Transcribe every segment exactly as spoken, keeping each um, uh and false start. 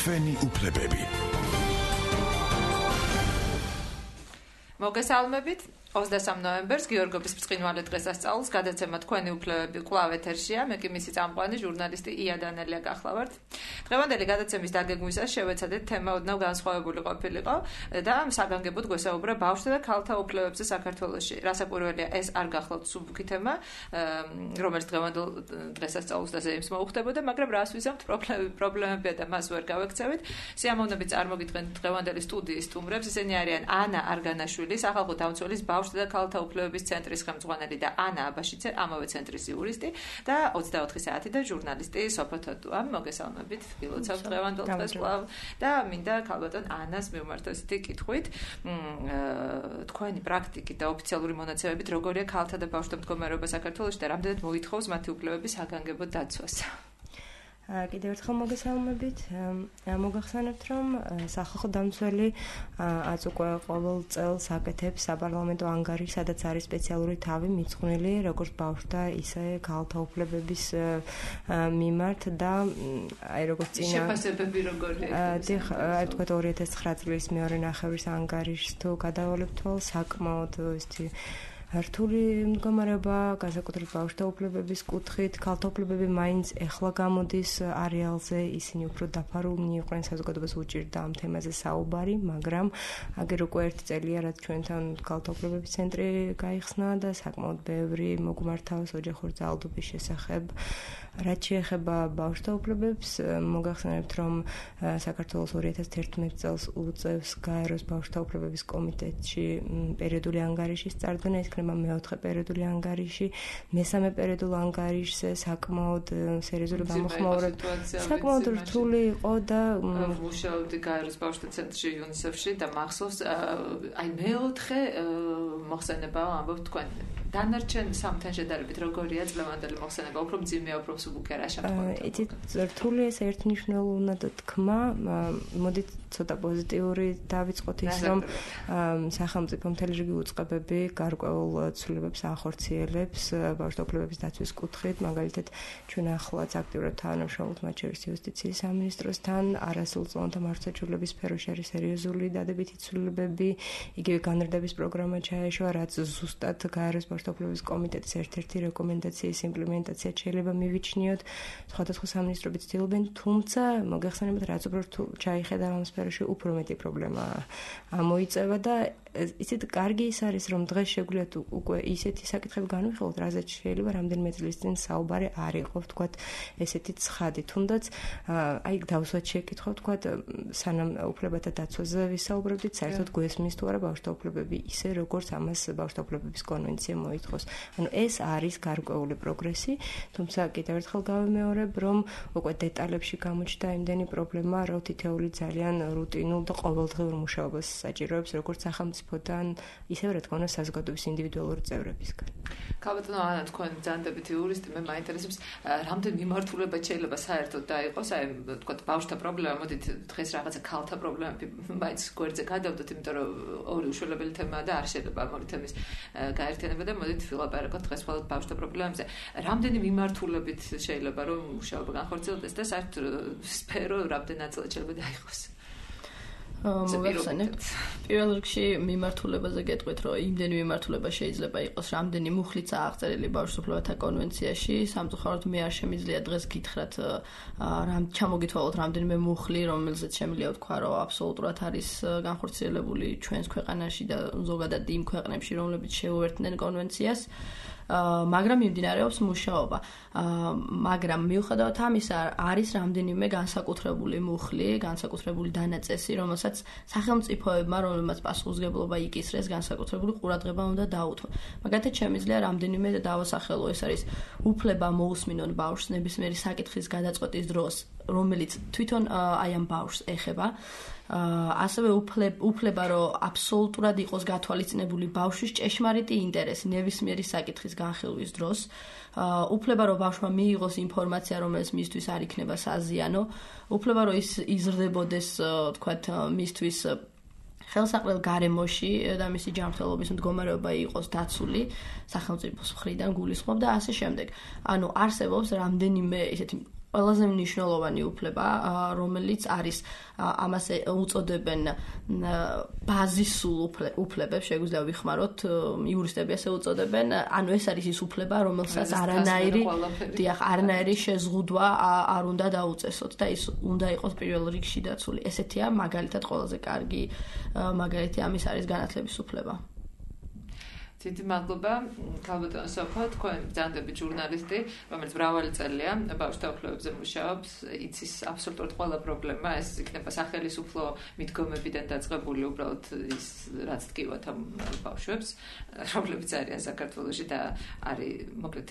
თქვენი უფლებები. მოგესალმებით. ოცდასამ ნოემბერს გიორგობის ბრწყინვალე დღესასწაულს გადაცემა თქვენი უფლებები კვლავ ეთერშია. მე კი მისი წამყვანი ჟურნალისტი ია დანელია გახლავართ. დღევანდელი გადაცემის დაგეგმვისას შევეცადეთ თემა ოდნავ განსხვავებული ყოფილიყო და საგანგებოდ გვესაუბრა ბავშვთა და ქალთა უფლებებზე საქართველოში. რასაკვირველია, ეს არ გახლავთ სუბუქი თემა, რომელიც დღევანდელ დღესასწაულს და ზეიმს მოუხდებოდა, მაგრამ რას ვიზამთ, პრობლემებია და მას ვერ გავექცევით. სიამოვნებით წარმოგიდგენთ დღევანდელი სტუდიის სტუმრებს. ისინი არიან ანა არგანაშვილი, სახალხო დამცველის ბავშვთა და ქალთა უფლებების ცენტრის ხელმძღვანელი და ანა აბაშიცე, ამავე ცენტრის იურისტი და ოცდაოთხი საათიდან ჟურნალისტი სოფო თოდუა. მოგესალმებით, გილოცავთ დღევანდელ დღეს კვლავ და მინდა ქალბატონ ანას მივმართო ესეთი კითხვით. თქვენი პრაქტიკით და ოფიციალური მონაცემებით როგორია ქალთა და ბავშვთა მდგომარეობა საქართველოში და რამდენად მოითხოვს მათი უფლებების საგანგებო დაცვას? კიდევ ერთხელ მოგესალმებით. მოგახსენებთ, რომ სახალხო დამცველი აწ უკვე ყოველ წელს აკეთებს საპარლამენტო ანგარიშს, სადაც არის სპეციალური თავი მიძღვნილი როგორც ბავშვთა, ისე ქალთა უფლებების მიმართ და აი როგორც წინა შეფასებები როგორია? დიახ, აი თქვათ ორი ათას ცხრა წლის მეორე ნახევრის ანგარიშს თუ გადავალებთ, საკმაოდ ისეთი რთული მდგომარეობა, განსაკუთრებით ბავშვთა უფლებების კუთხით, ქალთა უფლებები მაინც ეხლა გამოდის არეალზე, ისინი უფრო დაფარულნი იყვნენ, საზოგადოებას უჭირდა ამ თემაზე საუბარი, მაგრამ აგერ უკვე ერთი წელია, რაც ჩვენთან ქალთა უფლებების ცენტრი გაიხსნა და საკმაოდ ბევრი მოგმართავს ოჯახური ძალადობის შესახებ. რაც შეეხება ბავშვთა უფლებებს, მოგახსენებთ, რომ საქართველოს ორი ათას თერთმეტ წელს უწევს გაეროს ბავშვთა უფლებების კომიტეტში პერიოდული ანგარიშის წარდგენა, ეს იქნება მეოთხე პერიოდული ანგარიში, მესამე პერიოდულ ანგარიშზე საკმაოდ სერიოზული გამოხმაურება, საკმაოდ რთული იყო და მუშაობდი გაეროს ბავშვთა ცენტრში იუნისეფში და მახსოვს, აი მეოთხე მოხსენებაა ამბობთ თქვენ. დანარჩენ სამთან შედარებით როგორია წლევანდელი მოხსენება, უფრო მძიმეა, უფრო სუბუქია რა შემთხვევაში? იცით, რთული ეს ერთნიშნულოვნად თქმა, მოდით ცოტა პოზიტიური დავიწყოთ ის, რომ სახელმწიფო მთელი რიგი უწყებები გარკვეულ ცვლილებებს ახორციელებს ბავშვთა უფლებების დაცვის კუთხით, მაგალითად ჩვენ ახლაც აქტიურად თანამშრომლობთ მათ შორის იუსტიციის სამინისტროსთან, არასრულ წლოვანთა მართლმსაჯულების სფეროში არის სერიოზული დადებითი ცვლილებები, იგივე განრდების პროგრამა ჩაეშვა, რაც ზუსტად გაეროს ბავშვთა უფლებების კომიტეტის ერთ-ერთი რეკომენდაციის იმპლემენტაცია შეიძლება მივიჩნიოთ, სხვადასხვა სამინისტროები ცდილობენ, თუმცა მოგეხსენებათ, რაც უფრო ჩაიხედა ამ სფეროში, უფრო მეტი პრობლემა მოიწევა და ისეთ კარგი ის არის, რომ დღეს შეგვიძლია უკვე ისეთი საკითხები განვიხილოთ, რაზეც შეიძლება რამდენიმე წლის წინ საუბარი არ იყო, ვთქვათ, ესეთი ცხადი. თუნდაც აი დავსვათ შეკითხვა, ვთქვათ, სანამ უფლებათა დაცვაზე ვისაუბრებდით, საერთოდ გვესმის თუ არა ბავშვთა უფლებები ისე, როგორც ამას ბავშვთა უფლებების კონვენცია მოითხოვს. ანუ ეს არის გარკვეული პროგრესი, თუმცა კიდევ ერთხელ გავიმეორებ, რომ უკვე დეტალებში გამოჩნდა იმდენი პრობლემა, რომ თითეული ძალიან რუტინულ და ყოველდღიურ მუშაობას საჭიროებს, როგორც სახელმწიფოდან, ისევე რა თქმა უნდა საზოგადოების ინდივიდუალური წევრებისგან. ქალბატონო ანა, თქვენ ძანდებითი იურისტი, მე მაინტერესებს, რამდენი მიმართულება შეიძლება საერთოდ დაიყოს, აი ვთქვათ, ბავშვთა პრობლემა, მოდით დღეს რაღაცა ქალთა პრობლემები მაინც გვერდზე გადავდოთ, იმიტომ რომ ორი უშველებელი თემაა და არ შეიძლება ამ ორი თემის გაერთიანება და მოდით ვილაპარაკოთ დღეს მხოლოდ ბავშვთა პრობლემებზე. რამდენი მიმართულებით შეიძლება რომ მუშაობა განხორციელდეს და საერთოდ სფერო რამდენი ნაწილად შეიძლება დაიყოს? მოგახსენებთ. პირველ რიგში მიმართულებაზე გეტყვით, რომ იმდენი მიმართულება შეიძლება იყოს, რამდენი მუხლიც აღწერილი ბავშვთა უფლებათა კონვენციაში. სამწუხაროდ მე არ შემიძლია დღეს გითხრათ, რამ ჩამოგითვალოთ რამდენიმე მუხლი, რომელზეც შემიძლია ვთქვა, რომ აბსოლუტურად არის განხორციელებული ჩვენს ქვეყანაში და ზოგადად იმ ქვეყნებში, რომლებიც შეუერთდნენ კონვენციას. მაგრამ მიმდინარეობს მუშაობა. მაგრამ მიუხედავად ამისა, არის რამდენიმე განსაკუთრებული მუხლი, განსაკუთრებული დანაწესი, რომელსაც სახელმწიფოებმა, რომელმაც პასუხისმგებლობა იკისრეს, განსაკუთრებული ყურადღება უნდა დაუთმო. მაგალითად, შემიძლია რამდენიმე დავასახელო, ეს არის უფლება მოусმინონ ბავშვს ნებისმიერი საკითხის გადაწყვეტის დროს, რომელიც თვითონ აი ამ ბავშვს ეხება. ასევე უფლება, რომ აბსოლუტურად იყოს გათვალისწინებული ბავშვის ჭეშმარიტი ინტერესი ნებისმიერი საკითხის განხილვის დროს, უფლება, რომ ბავშვმა მიიღოს ინფორმაცია, რომელიც მისთვის არ იქნება საზიანო, უფლება, რომ ის იზრდებოდეს, თქვათ, მისთვის ხელსაყრელ გარემოში და მისი ჯანმრთელობის მდგომარეობა იყოს დაცული სახელმწიფოს მხრიდან გულისხმობ და ასე შემდეგ. ანუ არსებობს რამდენიმე ისეთი ყველაზე მნიშვნელოვანი უფლება, რომელიც არის ამას უწოდებენ ბაზისულ უფლებებს, შეგვიძლია ვიხმაროთ, იურისტები ასე უწოდებენ, ანუ ეს არის ის უფლება, რომელსაც არანაირი, დიახ, არანაირი შეზღუდვა არ უნდა დაუწესოთ და ის უნდა იყოს პირველ რიგში დაცული. ესეთია მაგალითად ყველაზე კარგი მაგალითი ამის არის განათლების უფლება. დიდი მადლობა, ქალბატონო სოფო, თქვენ ბრძანდებით ჟურნალისტი, რომელიც მრავალი წელია ბავშვთა უფლებებზე მუშაობს, იცის აბსოლუტურად ყველა პრობლემა, ეს იქნება სახელისუფლო მიდგომებიდან დაწყებული უბრალოდ ის რაც დგივათ ამ ბავშვებს, რომლებიც არიან საქართველოში და არის, მოკლედ,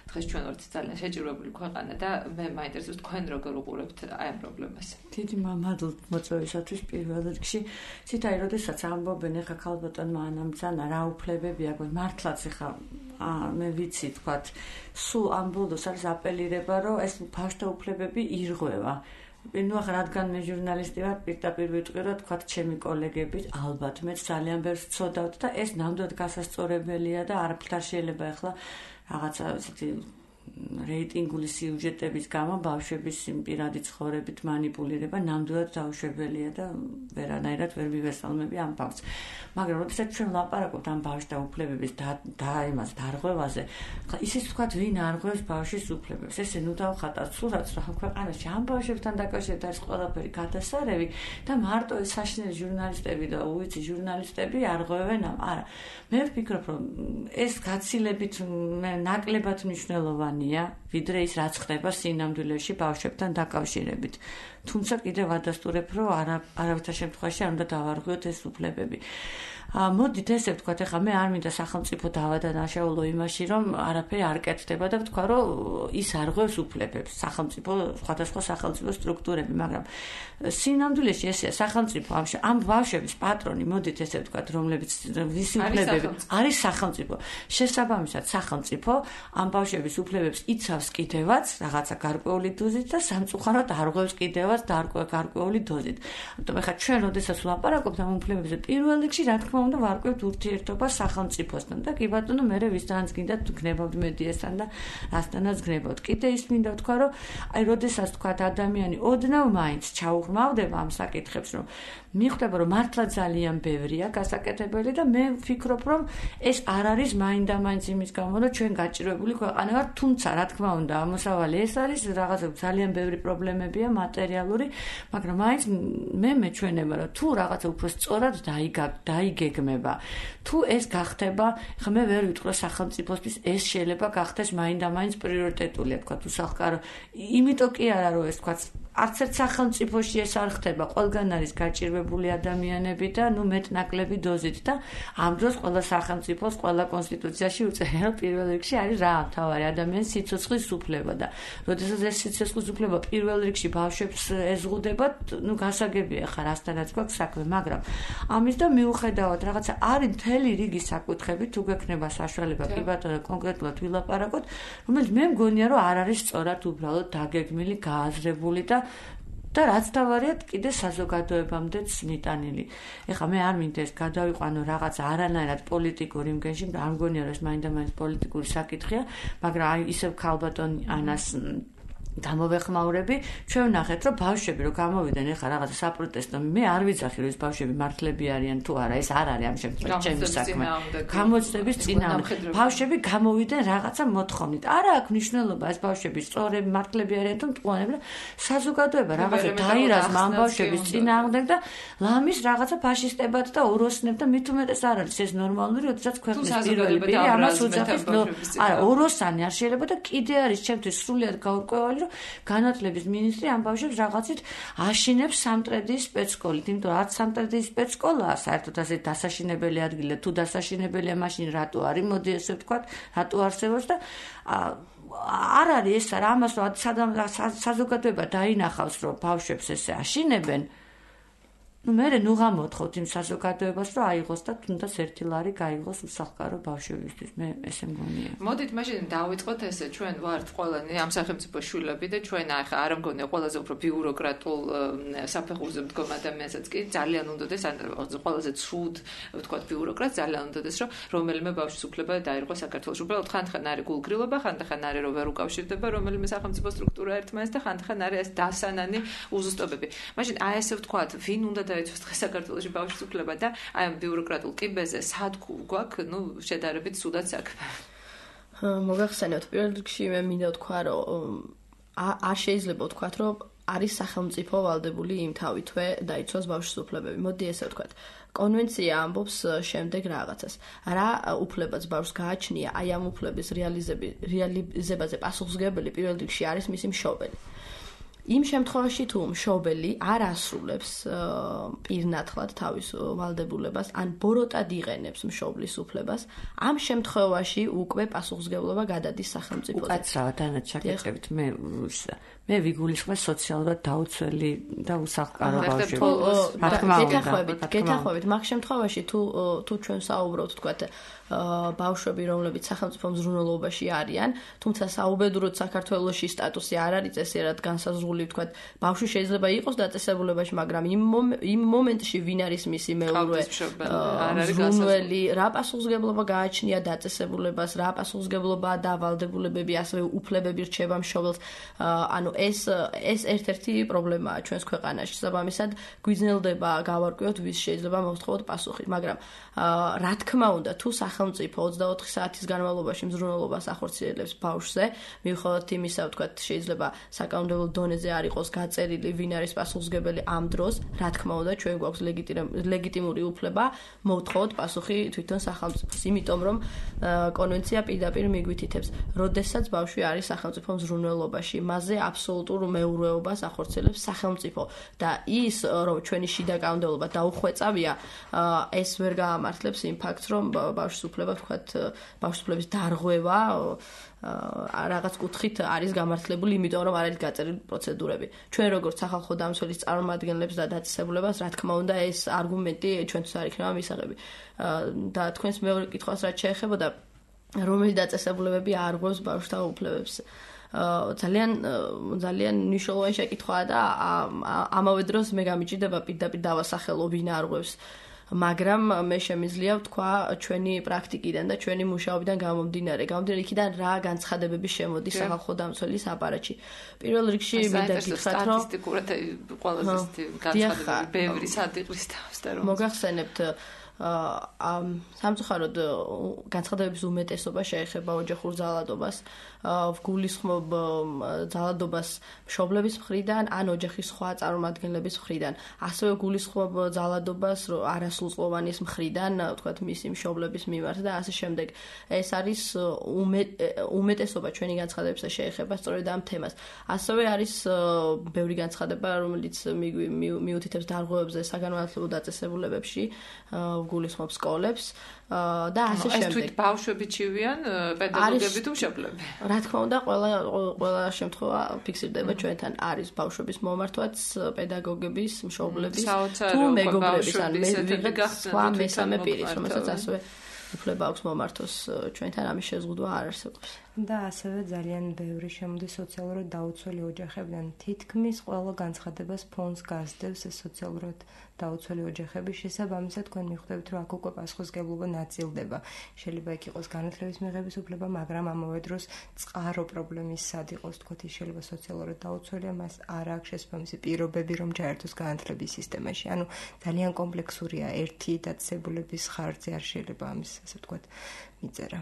დღეს ჩვენ ვართ ძალიან შეჭირვებული ქვეყანა და მე მაინტერესებს თქვენ როგორ უყურებთ აი ამ პრობლემას. დიდი მადლობა მოწვევისათვის პირველ რიგში. ცითაი, როდესაც ამბობენ ახლა ქალბატონმა ანამ ძანა რა უფლებები აქვს, მართლაც ახლა მე ვიცი თქვათ, სულ ამ ბოლოს არის აპელირება, რომ ეს ბავშვთა უფლებები ირღვევა. ნუ ახლა რადგან მე ჟურნალისტი ვარ, პირდაპირ ვიტყვი, რომ თქვათ ჩემი კოლეგები, ალბათ მეც ძალიან ბევრს ვცოდავთ და ეს ნამდვილად გასასწორებელია და არაფერ შეიძლება ახლა რაღაცა ისეთი რეიტინგული სიუჟეტების გამო ბავშვების პირადი ცხოვრებით манипуლირება ნამდვილად დაუშვებელია და ვერანაირად ვერ მივესალმები ამ ფაქტს. მაგრამ როდესაც ჩვენ ვლაპარაკობთ ამ ბავშვთა უფლებების და იმას დარღვევაზე, ხა ისიც ვთქვათ, ვინ არღვევს ბავშვის უფლებებს. ესე ნუ დავხატავთ სურათს, რომ ქვეყანაში ამ ბავშვებთან დაკავშირებით არის ყველაფერი გადასარევი და მარტო ეს საშინელი ჟურნალისტები და უიცი ჟურნალისტები არღვევენ ამ. არა, მე ვფიქრობ, რომ ეს გაცილებით ნაკლებად მნიშვნელოვანია, ვიდრე ის რაც ხდება სინამდვილეში ბავშვებთან დაკავშირებით. თუმცა კიდევ ვადასტურებ, რომ არა არავითარ შემთხვევაში არ უნდა დავარღვიოთ ეს უფლებები. მოდით ესე ვთქვათ, ახლა მე არ მინდა სახელმწიფო დავადანაშაულო იმაში, რომ არაფერი არ კეთდება და ვთქვა, რომ ის არღვევს უფლებებს, სახელმწიფო, სხვადასხვა სახელმწიფო სტრუქტურები, მაგრამ სინამდვილეში ესეა სახელმწიფო ამ ბავშვების პატრონი, მოდით ესე ვთქვათ, რომლებიც ვისი უფლებები არის სახელმწიფო. შესაბამისად, სახელმწიფო ამ ბავშვების უფლებებს იცავს კიდევაც რაღაცა გარკვეული დოზით და სამწუხაროდ არღვევს კიდევაც გარკვეული დოზით. ამიტომ ახლა ჩვენ როდესაც ვლაპარაკობთ ამ უფლებებზე, პირველ რიგში რა თქმა უნდა ვარკვევთ ურთიერთობას სახელმწიფოსთან და კი ბატონო მე ვისთანაც გინდა გნებავთ მედიასთან და რასთანაც გნებავთ. კიდე ის მინდა ვთქვა, რომ აი როდესაც თქვათ ადამიანი ოდნავ მაინც ჩაუღრმავდება ამ საკითხებს, რომ მიხვდება, რომ მართლა ძალიან ბევრია გასაკეთებელი და მე ვფიქრობ, რომ ეს არ არის მაინდა-მაინც იმის გამო, რომ ჩვენ გაჭირვებული ქვეყანა ვართ, თუმცა რა თქმა უნდა ამოსავალი ეს არის, რაღაცა ძალიან ბევრი პრობლემებია მატერიალური, მაგრამ მაინც მე მეჩვენება, რომ თუ რაღაცა უფრო სწორად დაიგეგმება, თუ ეს გახდება, ხა მე ვერ ვიტყვი სახელმწიფოსთვის ეს შეიძლება გახდეს მაინდა-მაინც პრიორიტეტულია, თქვა თუ სახკარო, იმიტომ კი არა, რომ ეს თქვა არც ერთ სახელმწიფოში ეს არ ხდება, ყველგან არის გაჭირვებული ადამიანები და ნუ მეტ-ნაკლები დოზით და ამ დროს ყველა სახელმწიფოს, ყველა კონსტიტუციაში უწერია, რომ პირველ რიგში არის რა, მთავარი ადამიანის სიცოცხლის უფლება და როდესაც ეს სიცოცხლის უფლება პირველ რიგში ბავშვებს ეზღუდება, ნუ გასაგებია ხა რასთანაც გვაქვს საქმე, მაგრამ ამის და მიუხედავად რაღაცა არის მთელი რიგი საკითხები, თუ გექნება საშუალება კი ბატონო კონკრეტულად ვილაპარაკოთ, რომელიც მე მგონია, რომ არ არის სწორად უბრალოდ დაგეგმილი, გააზრებული და და რაც თავარია კიდე საზოგადოებამდეც მიტანილი. ეხლა მე არ მინდა ეს გადავიყვანო რაღაც არანაირად პოლიტიკური იმგენში, არ მგონია რომ ეს მაინდა-მაინც პოლიტიკური საკითხია, მაგრამ აი ისევ ქალბატონ ანას გამოვეხმაურები, ჩვენ ვნახეთ, რომ ბავშვები რო გამოვიდნენ ეხლა რაღაცა საპროტესტო, მე არ ვიცახი რომ ეს ბავშვები მართლები არიან თუ არა, ეს არ არის ამ შემთხვევაში ჩემი საქმე. გამოცდების წინააღმდეგ ბავშვები გამოვიდნენ რაღაცა მოთხოვნით. არა აქვს მნიშვნელობა ეს ბავშვები სწორები მართლები არიან თუ მტყუანები და საზოგადოება რაღაცა დაირას ამ ბავშვების წინააღმდეგ და ლამის რაღაცა ფაშისტებად და ოროსნებ და მით უმეტეს არ არის ეს ნორმალური, როდესაც ქვეყნის პირველი პირი ამას უძახის. არა, ოროსანი არ შეიძლება და კიდე არის ჩემთვის სრულიად გაურკვეველი განათლების მინისტრი ამ ბავშვებს რაღაცით აშინებს სამტრედიის სპეცსკოლით, იმიტომ რომ არც სამტრედიის სპეცსკოლაა საერთოდ ასე დასაშინებელი ადგილი და თუ დასაშინებელია მაშინ რატო არის, მოდი ესე ვთქვათ, რატო არსებობს და არ არის ეს რა ამას რომ საზოგადოება დაინახავს რომ ბავშვებს ესე აშინებენ ну მე ნუ გამოთხოვთ იმ საზოგადოებას რომ აიღოს და თუნდაც ერთი ლარი გაიღოს უსახლკარო ბავშვებისთვის მე ესე მგონია. მოდით მაშინ დავიწყოთ ესე ჩვენ ვართ ყველანი ამ სახელმწიფო შვილები და ჩვენ ახლა არ მგონია ყველაზე უფრო ბიუროკრატულ საფეხურზე მდგომ ადამიანსაც კი ძალიან უნდადეს ან ყველაზე ცუდ ვთქვათ ბიუროკრატ ძალიან უნდადეს რომ რომელიმე ბავშვის უფლება დაირღვა საქართველოში. უბრალოდ ხანდახან არის გულგრილობა, ხანდახან არის რომ ვერ უკავშირდება რომელიმე სახელმწიფო სტრუქტურა ერთმანეთს და ხანდახან არის ეს დასანანი უზუსტობები. მაშინ აი ესე ვთქვათ, ვინ უნდა დაიცვას დღეს საქართველოში ბავშვის უფლება და აი ამ ბიუროკრატულ კიბეზე სად გვაქვს, ну, შედარებით ცუდად საქმე. მოგახსენებთ, პირველ რიგში მე მინდა ვთქვა, რომ არ შეიძლება ვთქვათ, რომ არის სახელმწიფო ვალდებული იმ თავითვე დაიცვას ბავშვის უფლებები. მოდი ესე ვთქვათ. კონვენცია ამბობს შემდეგ რაღაცას. რა უფლებაც ბავშვს გააჩნია, აი ამ უფლების რეალიზებაზე პასუხისმგებელი პირველ რიგში არის მისი მშობელი. იმ შემთხვევაში თუ მშობელი არ ასრულებს პირნათლად თავის ვალდებულებას ან ბოროტად იყენებს მშობლის უფლებას, ამ შემთხვევაში უკვე პასუხისმგებლობა გადადის სახელმწიფოზე. უკაცრავად დანაც შეკეთებით მე მე ვიგულისხმე სოციალურად დაუცველი და უსახლკარო ბავშვებს. გეთახვებით, გეთახვებით, მაგ შემთხვევაში თუ თუ ჩვენ საუბრობთ, თქვათ, ბავშვები, რომლებიც სახელმწიფო მზრუნველობაში არიან, თუმცა საუბედუროდ საქართველოში სტატუსი არ არის წესიერად განსაზღვრული, თქვათ, ბავშვი შეიძლება იყოს დაწესებულებაში, მაგრამ იმ იმ მომენტში ვინ არის მისი მეურვე მზრუნველი, რა პასუხისმგებლობა გააჩნია დაწესებულებას, რა პასუხისმგებლობა და ვალდებულებები, ასევე უფლებები რჩება მშობელს, ანუ ეს ეს ერთ-ერთი პრობლემაა ჩვენს ქვეყანაში. საბამისად, გვიძნელდება გავარკვიოთ, ვის შეიძლება მოვთხოვოთ პასუხი, მაგრამ რა თქმა უნდა, თუ სახელმწიფო ოცდაოთხი საათის განმავლობაში მზრუნველობას ახორციელებს ბავშვზე, მიუხედავად იმისა, ვთქვათ, შეიძლება საკანონმდებლო დონეზე არ იყოს გაწერილი, ვინ არის პასუხისმგებელი ამ დროს, რა თქმა უნდა, ჩვენ გვაქვს ლეგიტიმური უფლება მოვთხოვოთ პასუხი თვითონ სახელმწიფოს, იმიტომ რომ კონვენცია პირდაპირ მიგვითითებს, როდესაც ბავშვი არის სახელმწიფო მზრუნველობაში, მასზე აბსოლუტურ მეურვეობას ახორციელებს სახელმწიფო და ის, რომ ჩვენი შიდა კანონმდებლობა დაუხვეწავია, ეს ვერ გაამართლებს იმ ფაქტს, რომ ბავშვის უფლება, ვთქვათ, ბავშვის უფლების დარღვევა რაღაც კუთხით არის გამართლებული, იმიტომ რომ არ არის გაწერილი პროცედურები. ჩვენ როგორც სახალხო დამცველის წარმომადგენლებს და დაწესებულებას, რა თქმა უნდა, ეს არგუმენტი ჩვენთვის არ იქნება მისაღები. და თქვენს მეორე კითხვას რაც შეეხებოდა, რომელი დაწესებულებები არღვევს ბავშვთა უფლებებს. ძალიან ძალიან მნიშვნელოვანი შეკითხვაა და ამავე დროს მე გამიჭირდება პირდაპირ დავასახელო ვინ არღვევს. მაგრამ მე შემიძლია ვთქვა ჩვენი პრაქტიკიდან და ჩვენი მუშაობიდან გამომდინარე, გამომდინარე იქიდან რა განცხადებები შემოდის სახალხო დამცველის აპარატში. პირველ რიგში მინდა გითხრათ, რომ სტატისტიკურად ყველაზე განცხადებები ბევრი სადიყვის თავს და რომ მოგახსენებთ ამ სამწუხაროდ განცხადებების უმეტესობა შეეხება ოჯახურ ძალადობას, გულისხმობ ძალადობას მშობლების მხრიდან ან ოჯახის სხვა წარმომადგენლების მხრიდან. ასევე გულისხმობ ძალადობას არასრულწლოვანის მხრიდან, თქვათ, მისი მშობლების მიმართ და ასე შემდეგ. ეს არის უმეტესობა ჩვენი განცხადებისა შეეხება სწორედ ამ თემას. ასევე არის ბევრი განცხადება, რომელიც მიუთითებს დარღვევებზე საგანმანათლებლო დაწესებულებებში, გულისხმობს სკოლებს და ასე შემდეგ. ეს თვით ბავშვები ჩივიან, პედაგოგები თუ მშობლები? რა თქმა უნდა, ყველა ყველა შემთხვევა ფიქსირდება ჩვენთან. არის ბავშვების მომართვაც, პედაგოგების, მშობლების თუ მეგობრების, ან ვიღაც სხვა მესამე პირის, რომელსაც ასევე უფლება აქვს მომართოს ჩვენთან, ამის შეზღუდვა არ არსებობს. და ასევე ძალიან ბევრი შემოდის სოციალურად დაუცველი ოჯახებიდან. თითქმის ყველა განცხადებას ფონს გასდევს ეს სოციალურად დაუცველი ოჯახების შესაბამისად, თქვენ მიხვდებით, რომ აქ უკვე პასუხისმგებლობა ნაწილდება. შეიძლება იქ იყოს განათლების მიღების უფლება, მაგრამ ამავე დროს წყარო პრობლემის სად იყოს, თქვათ, ის შეიძლება სოციალურად დაუცველია, მას არ აქვს შესაბამისი პირობები, რომ ჩაერთოს განათლების სისტემაში. ანუ ძალიან კომპლექსურია, ერთი დაწესებულების ხარჯზე არ შეიძლება ამის, ასე ვთქვათ, მიწერა.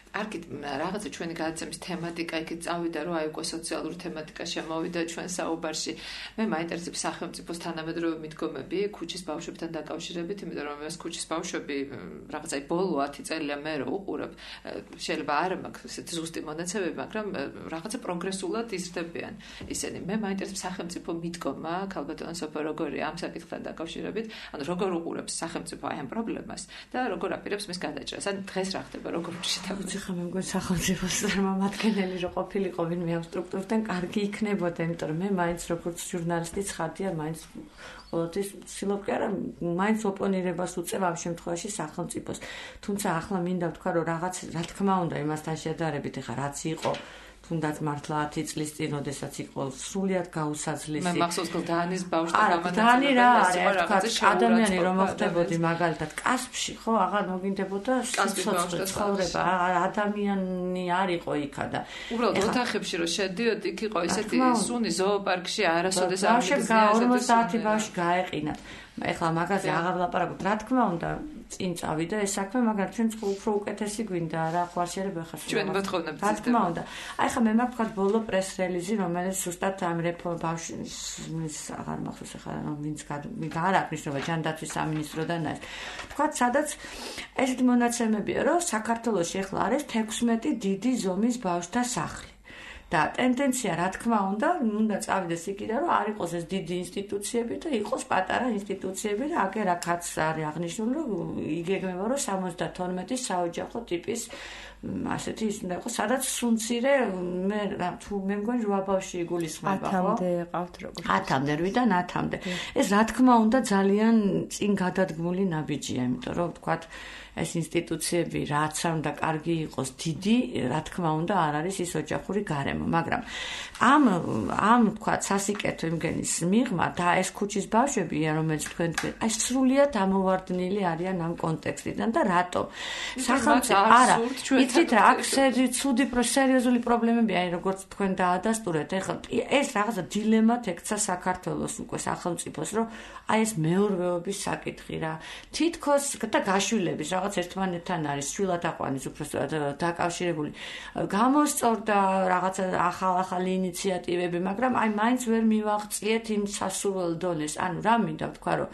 არკით რაღაცა ჩვენი გადაცემის თემატიკა იქით წავიდა, რომ აი უკვე სოციალური თემატიკა შემოვიდა ჩვენ საუბარში. მე მაინტერესებს სახელმწიფოს თანამედროვე მიდგომები ქუჩის ბავშვებთან დაკავშირებით, იმიტომ რომ ეს ქუჩის ბავშვები რაღაცა ბოლო ათი წელია მე რო უყურებ, შეიძლება არ მაქვს ესეთი ზუსტი მონაცემები, მაგრამ რაღაცა პროგრესულად იზრდებიან ისინი. მე მაინტერესებს სახელმწიფო მიდგომა, ქალბატონო სოფო, როგორია ამ საკითხთან დაკავშირებით, ანუ როგორ უყურებს სახელმწიფო აი ამ პრობლემას და როგორ აპირებს მის გადაჭრას. ან დღეს რა ხდება, როგორ შეთავაზება ეხლა მე მგონი სახელმწიფოს წარმომადგენელი რო ყოფილიყო ვინმე ამ სტრუქტურიდან კარგი იქნებოდა, იმიტომ რომ მე მაინც როგორც ჟურნალისტი ცხადია, მაინც ყოველთვის ვცდილობ კი არა, მაინც ოპონირებას უწევ ამ შემთხვევაში სახელმწიფოს. თუმცა ახლა მინდა ვთქვა, რომ რაღაც რა თქმა უნდა იმასთან შედარებით ეხლა რაც იყო თუნდაც მართლა ათი წლის წინ, როდესაც იყო სრულიად გაუსაძლისი. მე მახსოვს გლდანის ბავშვთან გამანაცემებელი რა არის, ადამიანი რომ მოხდებოდი მაგალითად კასპში, ხო, აღარ მოგინდებოდა სიცოცხლე ცხოვრება, ადამიანი არ იყო იქა და უბრალოდ ოთახებში რომ შედიოდი, იქ იყო ესეთი სუნი ზოოპარკში არასოდეს არ მიგზნია ორმოცდაათი ბავშვი გაეყინა. ეხლა მაგაზე აღარ ვლაპარაკობ, რა თქმა უნდა წინ წავიდა ეს საქმე, მაგრამ ჩვენ უფრო უკეთესი გვინდა რა ხوارშერებ ახლა ჩვენ მოთხოვნებთ რა თქმა უნდა. აი ხა მე მაქვს ბოლო პრეს რელიზი, რომელიც ზუსტად ამ რეფორმ ბავშვის აღარ მახსოვს ახლა ვინც არ აქვს ნიშნობა ჯანდაცვის სამინისტროდან არის. თქვა სადაც ესეთი მონაცემებია, რომ საქართველოში ახლა არის თექვსმეტი დიდი ზომის ბავშვთა სახლი. და ტენდენცია რა თქმა უნდა, უნდა წავიდეს იქიდან, რომ არ იყოს ეს დიდი ინსტიტუციები და იყოს პატარა ინსტიტუციები და აგერ აქაც არის აღნიშნული, რომ იგეგმება, რომ სამოცდათორმეტი საოჯახო ტიპის ასეთი ის უნდა იყოს, სადაც სუნცირე მე თუ მე მგონი რვა ბავშვი იგულისხმება, ხო? ათამდე ყავთ როგორც. ათამდე, რვიდან ათამდე. ეს რა თქმა უნდა ძალიან წინ გადადგმული ნაბიჯია, იმიტომ რომ ვთქვათ ეს ინსტიტუციები რაც უნდა კარგი იყოს დიდი, რა თქმა უნდა არ არის ის ოჯახური გარემო, მაგრამ ამ ამ ვთქვათ სასიკეთო იმგენის მიღმა და ეს ქუჩის ბავშვები, რომელიც თქვენ თქვენ, აი სრულიად ამოვარდნილი არიან ამ კონტექსტიდან და რატო? სახელმწიფო არა, იცით რა, აქ ცუდი სერიოზული პრობლემები აი როგორც თქვენ დაადასტურეთ, ეხლა ეს რაღაცა დილემად ექცა საქართველოს უკვე სახელმწიფოს, რომ აი ეს მეურვეობის საკითხი რა, თითქოს და გაშვილების რაღაც ერთმანეთთან არის შვილად აყვანის უბრალოდ დაკავშირებული გამოსწორდა რაღაცა ახალ-ახალი ინიციატივები, მაგრამ აი მაინც ვერ მივაღწიეთ იმ სასურველ დონეს. ანუ რა მინდა ვთქვა, რომ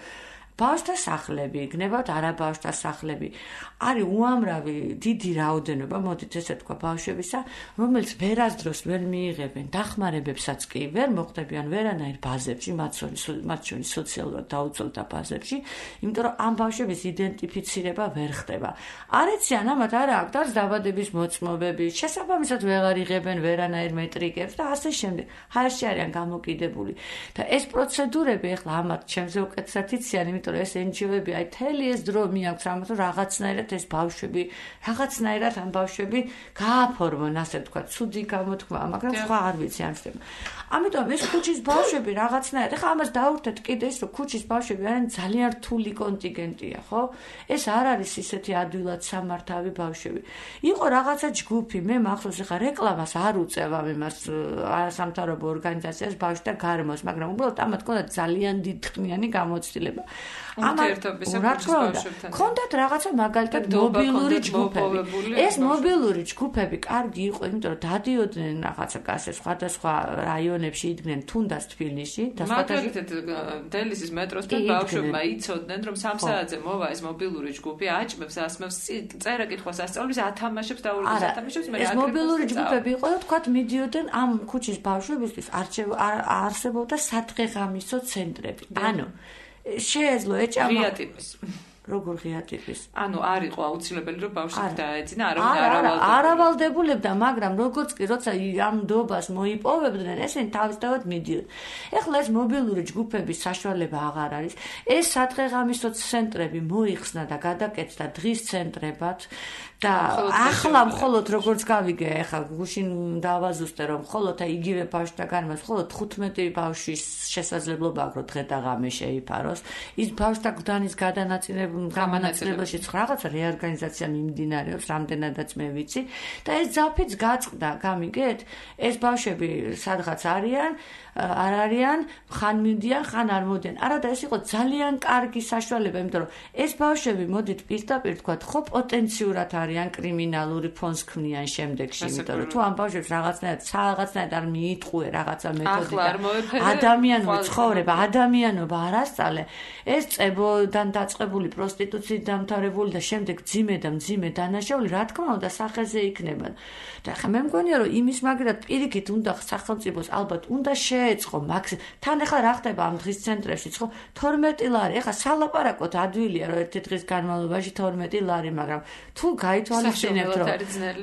ბავშვთა სახლები, გნებავთ არა ბავშვთა სახლები, არის უამრავი დიდი რაოდენობა, მოდით ესე თქვა ბავშვებისა, რომელიც ვერასდროს ვერ მიიღებენ დახმარებებსაც კი ვერ მოხდებიან ვერანაირ ბაზებში, მათ შორის სოციალურად დაუცველთა ბაზებში, იმიტომ რომ ამ ბავშვების იდენტიფიცირება ვერ ხდება. არ ეციან ამათ არა აქვს დარს დაბადების მოწმობები, შესაბამისად ვეღარ იღებენ ვერანაირ მეტრიკებს და ასე შემდეგ. ჰაერში არიან გამოკიდებული. და ეს პროცედურები ახლა ამათ ჩემზე უკეთესად იციან, იმიტომ რომ ეს ენჯიოები აი თელი ეს დრო მიაქვს ამათ რომ რაღაცნაირად ეს ბავშვები, რაღაცნაირად ამ ბავშვები გააფორმონ, ასე ვთქვათ, ცუდი გამოთქმა, მაგრამ სხვა არ ვიცი არ ხდება. ამიტომ ეს ქუჩის ბავშვები რაღაცნაირად, ეხლა ამას დაურთეთ კიდე ის, რომ ქუჩის ბავშვები არიან ძალიან რთული კონტინგენტია, ხო? ეს არ არის ისეთი ადვილად სამართავი ბავშვები. იყო რაღაცა ჯგუფი, მე მახსოვს ეხლა რეკლამას არ უწევ ამ იმას არასამთავრობო ორგანიზაციას ბავშვთა გარემოს, მაგრამ უბრალოდ ამათ ჰქონდა ძალიან დიდხნიანი გამოცდილება. ურთიერთობისა ქუჩის ბავშვებთან. ჰქონდათ რაღაცა მაგალითად მობილური ჯგუფები. ეს მობილური ჯგუფები კარგი იყო, იმიტომ რომ დადიოდნენ რაღაცა კასე სხვადასხვა რაიონებში იდგნენ თუნდაც თბილისში და მაგალითად დელისის მეტროსთან ბავშვებმა იცოდნენ, რომ სამ საათზე მოვა ეს მობილური ჯგუფი, აჭმევს, ასმევს, წერა კითხვას ასწავლის, ათამაშებს და ორი ათამაშებს მე რა. ეს მობილური ჯგუფები იყო და თქვათ მიდიოდნენ ამ ქუჩის ბავშვებისთვის არსებობდა სადღეღამისო ცენტრები. ანუ შეეძლო ეჭამა ღია ტიპის როგორ ღია ტიპის? ანუ არ იყო აუცილებელი რომ ბავშვი დაეძინა, არავინ არ ავალდებულებდა. არ ავალდებულებდა, მაგრამ როგორც კი როცა ამ დობას მოიპოვებდნენ, ესენი თავისთავად მიდიოდნენ. ეხლა ეს მობილური ჯგუფების საშუალება აღარ არის. ეს სადღეღამისო ცენტრები მოიხსნა და გადაკეთდა დღის ცენტრებად და ახლა მხოლოდ როგორც გავიგე, ეხლა გუშინ დავაზუსტე, რომ მხოლოდ იგივე ბავშვთა გარემოს მხოლოდ თხუთმეტი ბავშვის შესაძლებლობა აქვს, რომ დღე და ღამე შეიფაროს. ის ბავშვთა გვდანის გადანაწილება გამანაცვლებაში რაღაცა რეორგანიზაცია მიმდინარეობს, რამდენადაც მე ვიცი და ეს ძაფიც გაწყდა, გამიგეთ? ეს ბავშვები სადღაც არიან, არ არიან, ხან მიდიან, ხან არ მოდიან. არა და ეს იყო ძალიან კარგი საშუალება, იმიტომ რომ ეს ბავშვები მოდით პირდაპირ თქვათ, ხო პოტენციურად არიან კრიმინალური ფონს ქმნიან შემდეგში, იმიტომ რომ თუ ამ ბავშვებს რაღაცნაირად, რაღაცნაირად არ მიიტყუე რაღაცა მეთოდი და ადამიანური ცხოვრება, ადამიანობა არ ასწავლე, ეს წებოდან დაწყებული პროსტიტუციით დამთავრებული და შემდეგ ძიმე და მძიმე დანაშაული, რა თქმა უნდა, სახეზე იქნება. და ხა მე მგონია, რომ იმის მაგრად პირიქით უნდა სახელმწიფოს ალბათ უნდა შეეწყო მაქსიმ. თან ახლა რა ხდება ამ დღის ცენტრებშიც, ხო? თორმეტი ლარი. ახლა სალაპარაკოთ ადვილია, რომ ერთი დღის განმავლობაში თორმეტი ლარი, მაგრამ თუ გაითვალისწინებთ, რომ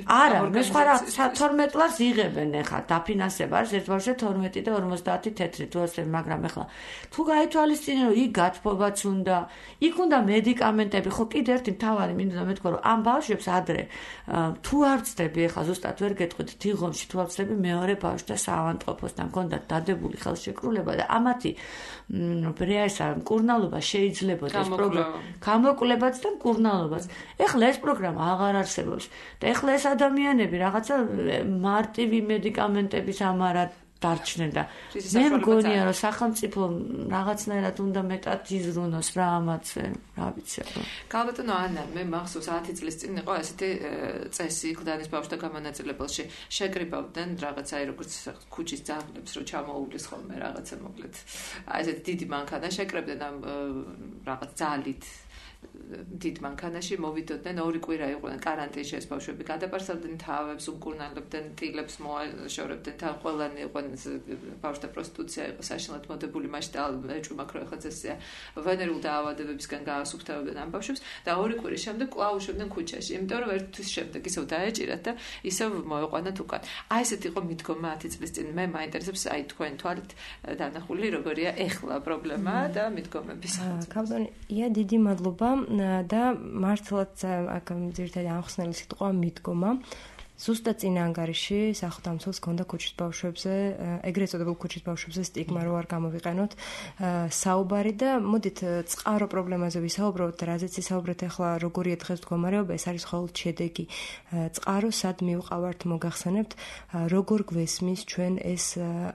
არა, მე სხვა რა თორმეტ ლარს იღებენ ახლა დაფინანსება არის ერთბავშვზე თორმეტი და ორმოცდაათი თეთრი თუ ასე, მაგრამ ახლა თუ გაითვალისწინე, რომ იქ გათბობაც უნდა, იქ უნდა მედიკამენტები, ხო კიდე ერთი მთავარი მინდა მეთქვა, რომ ამ ბავშვებს ადრე თუ არ ვწდები, ახლა ზუსტად ვერ გეტყვით, თიღომში თუ არ ვწდები მეორე ბავშვთა საავადმყოფოსთან ჰქონდათ დადებული ხელშეკრულება და ამათი ბრიასა მკურნალობა შეიძლებოდა ეს პროგრამა, გამოკლებაც და მკურნალობაც. ეხლა ეს პროგრამა აღარ არსებობს და ეხლა ეს ადამიანები რაღაცა მარტივი მედიკამენტების ამარად დარჩნენ და მე მგონია, რომ სახელმწიფო რაღაცნაირად უნდა მეტად იზრუნოს რა ამაზე, რა ვიცი. ქალბატონო ანა, მე მახსოვს ათი წლის წინ იყო ესეთი წესი გლდანის ბავშვთა გამონაწილებელში, შეკრიბავდნენ რაღაცა როგორც ქუჩის ძაღლებს, რომ ჩამოუვლის ხოლმე რაღაცა მოკლედ. აი ესეთი დიდი მანქანა შეკრებდნენ ამ რაღაც ძალით დიდ მანქანაში მოვიდოდნენ ორი კვირა იყვნენ კარანტინში ეს ბავშვები გადაპარსავდნენ თავებს, უმკურნალებდნენ, ტილებს მოაშორებდნენ, თან ყველანი იყვნენ ბავშვთა პროსტიტუცია იყო საშინლად მოდებული მასშტაბ ეჭვმაქრო ახლა წესია ვენერულ დაავადებებისგან გაასუფთავებდნენ ამ ბავშვებს და ორი კვირის შემდეგ კვლავ უშვებდნენ ქუჩაში, იმიტომ რომ ერთ თვის შემდეგ ისევ დაეჭირათ და ისევ მოეყვანათ უკან. აი ესეთი იყო მიდგომა ათი წლის წინ. მე მაინტერესებს აი თქვენ თვალით დანახული როგორია ეხლა პრობლემა და მიდგომების. ქალბატონი, ია დიდი მადლობა. და მართლაც აქ ძირითადად ამხსნელი სიტყვა მიდგომა. ზუსტად წინა ანგარიში სახელმწიფოს ჰქონდა ქუჩის ბავშვებზე, ეგრეთ წოდებულ ქუჩის ბავშვებზე სტიგმა რო არ გამოვიყენოთ საუბარი და მოდით წყარო პრობლემაზე ვისაუბროთ, რაზეც ვისაუბრეთ ახლა როგორია დღეს მდგომარეობა, ეს არის მხოლოდ შედეგი. წყარო სად მივყავართ მოგახსენებთ, როგორ გვესმის ჩვენ ეს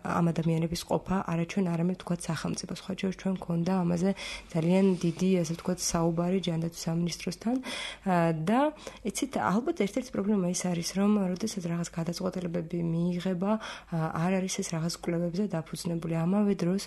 ამ ადამიანების ყოფა, არა ჩვენ არამედ თქვა სახელმწიფოს. ხოჭერ ჩვენ გქონდა ამაზე ძალიან დიდი, ასე ვთქვათ, საუბარი ჯანდაცვის სამინისტროსთან და იცით, ალბათ ერთ-ერთი პრობლემა ის არის, რომ როდესაც რაღაც გადაწყვეტილებები მიიღება, არ არის ეს რაღაც კვლევებზე დაფუძნებული. ამავე დროს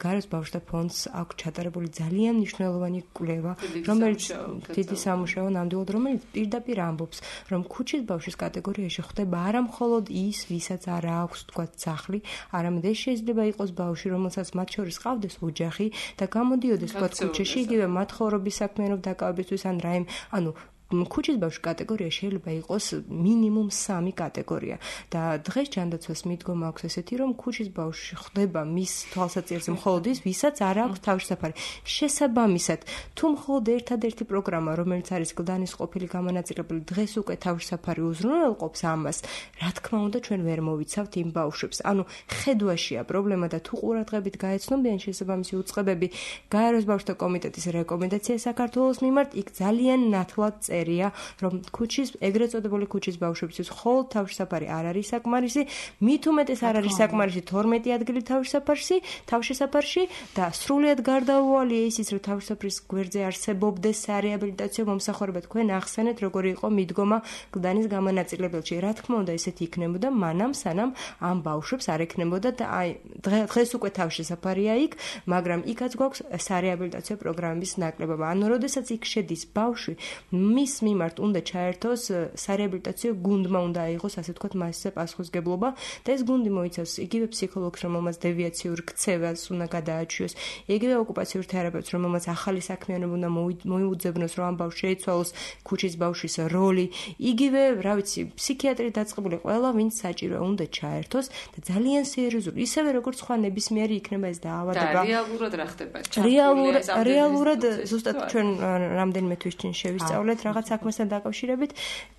გარეს ბავშვთა ფონდს აქვს ჩატარებული ძალიან მნიშვნელოვანი კვლევა, რომელიც დიდი სამუშაო ნამდვილად, რომელიც პირდაპირ ამბობს, რომ ქუჩის ბავშვის კატეგორიაში ხდება არა მხოლოდ ის, ვისაც არ აქვს თქვა სახლი, არამედ ეს შეიძლება იყოს ბავშვი, რომელსაც მათ შორის ყავდეს ოჯახი და გამოდიოდეს თქვა ქუჩაში, იგივე მათ ხოვრობის საქმიანობ დაკავებისთვის ან რაიმე, ანუ ქუჩის ბავშვის კატეგორია შეიძლება იყოს მინიმუმ სამი კატეგორია და დღეს ჯანდაცვას მიდგომა აქვს ესეთი, რომ ქუჩის ბავშვი ხდება მის თვალსაჩინოზე მხოლოდ ის, ვისაც არ აქვს თავშესაფარი. შესაბამისად, თუ მხოლოდ ერთადერთი პროგრამა, რომელიც არის გლდანის ყოფილი გამონაწილებელი, დღეს უკვე თავშესაფარი უზრუნველყოფს ამას, რა თქმა უნდა, ჩვენ ვერ მოვიცავთ იმ ბავშვებს. ანუ ხედვაშია პრობლემა და თუ ყურადღებით გაეცნობიან შესაბამისი უწყებები გაეროს ბავშვთა კომიტეტის რეკომენდაცია საქართველოს მიმართ, იქ ძალიან ნათლად რომ ქუჩის ეგრეთ წოდებული ქუჩის ბავშვებისთვის მხოლოდ თავშესაფარი არ არის საკმარისი, მით უმეტეს არ არის საკმარისი თორმეტი ადგილი თავშესაფარში, თავშესაფარში და სრულიად გარდაუვალია ისიც, რომ თავშესაფრის გვერდზე არსებობდეს სარეაბილიტაციო მომსახურება. თქვენ ახსენეთ, როგორი იყო მიდგომა გლდანის გამონაწილებელში. რა თქმა უნდა, ესეთი იქნებოდა მანამ, სანამ ამ ბავშვებს არ ექნებოდა და აი დღეს უკვე თავშესაფარია იქ, მაგრამ იქაც გვაქვს სარეაბილიტაციო პროგრამების ნაკლებობა. ანუ როდესაც იქ შედის ბავშვი, მის მიმართ უნდა ჩაერთოს სარეაბილიტაციო გუნდმა უნდა აიღოს, ასე ვთქვათ, მასზე პასუხისმგებლობა და ეს გუნდი მოიცავს იგივე ფსიქოლოგს, რომელმაც დევიაციურ ქცევას უნდა გადააჩიოს, იგივე ოკუპაციურ თერაპევტს, რომელმაც ახალი საქმიანობა უნდა მოიუძებნოს, რომ ამ ბავშვს შეიცვალოს ქუჩის ბავშვის როლი, იგივე, რა ვიცი, ფსიქიატრი დაწყებული, ყველა ვინც საჭიროა უნდა ჩაერთოს და ძალიან სერიოზული, ისევე როგორც სხვა ნებისმიერი იქნება ეს დაავადება. და რეალურად რა ხდება? რეალურად, რეალურად ზუსტად ჩვენ რამდენიმე თვის წინ შევისწავლეთ რაღაც საქმესთან დაკავშირებით,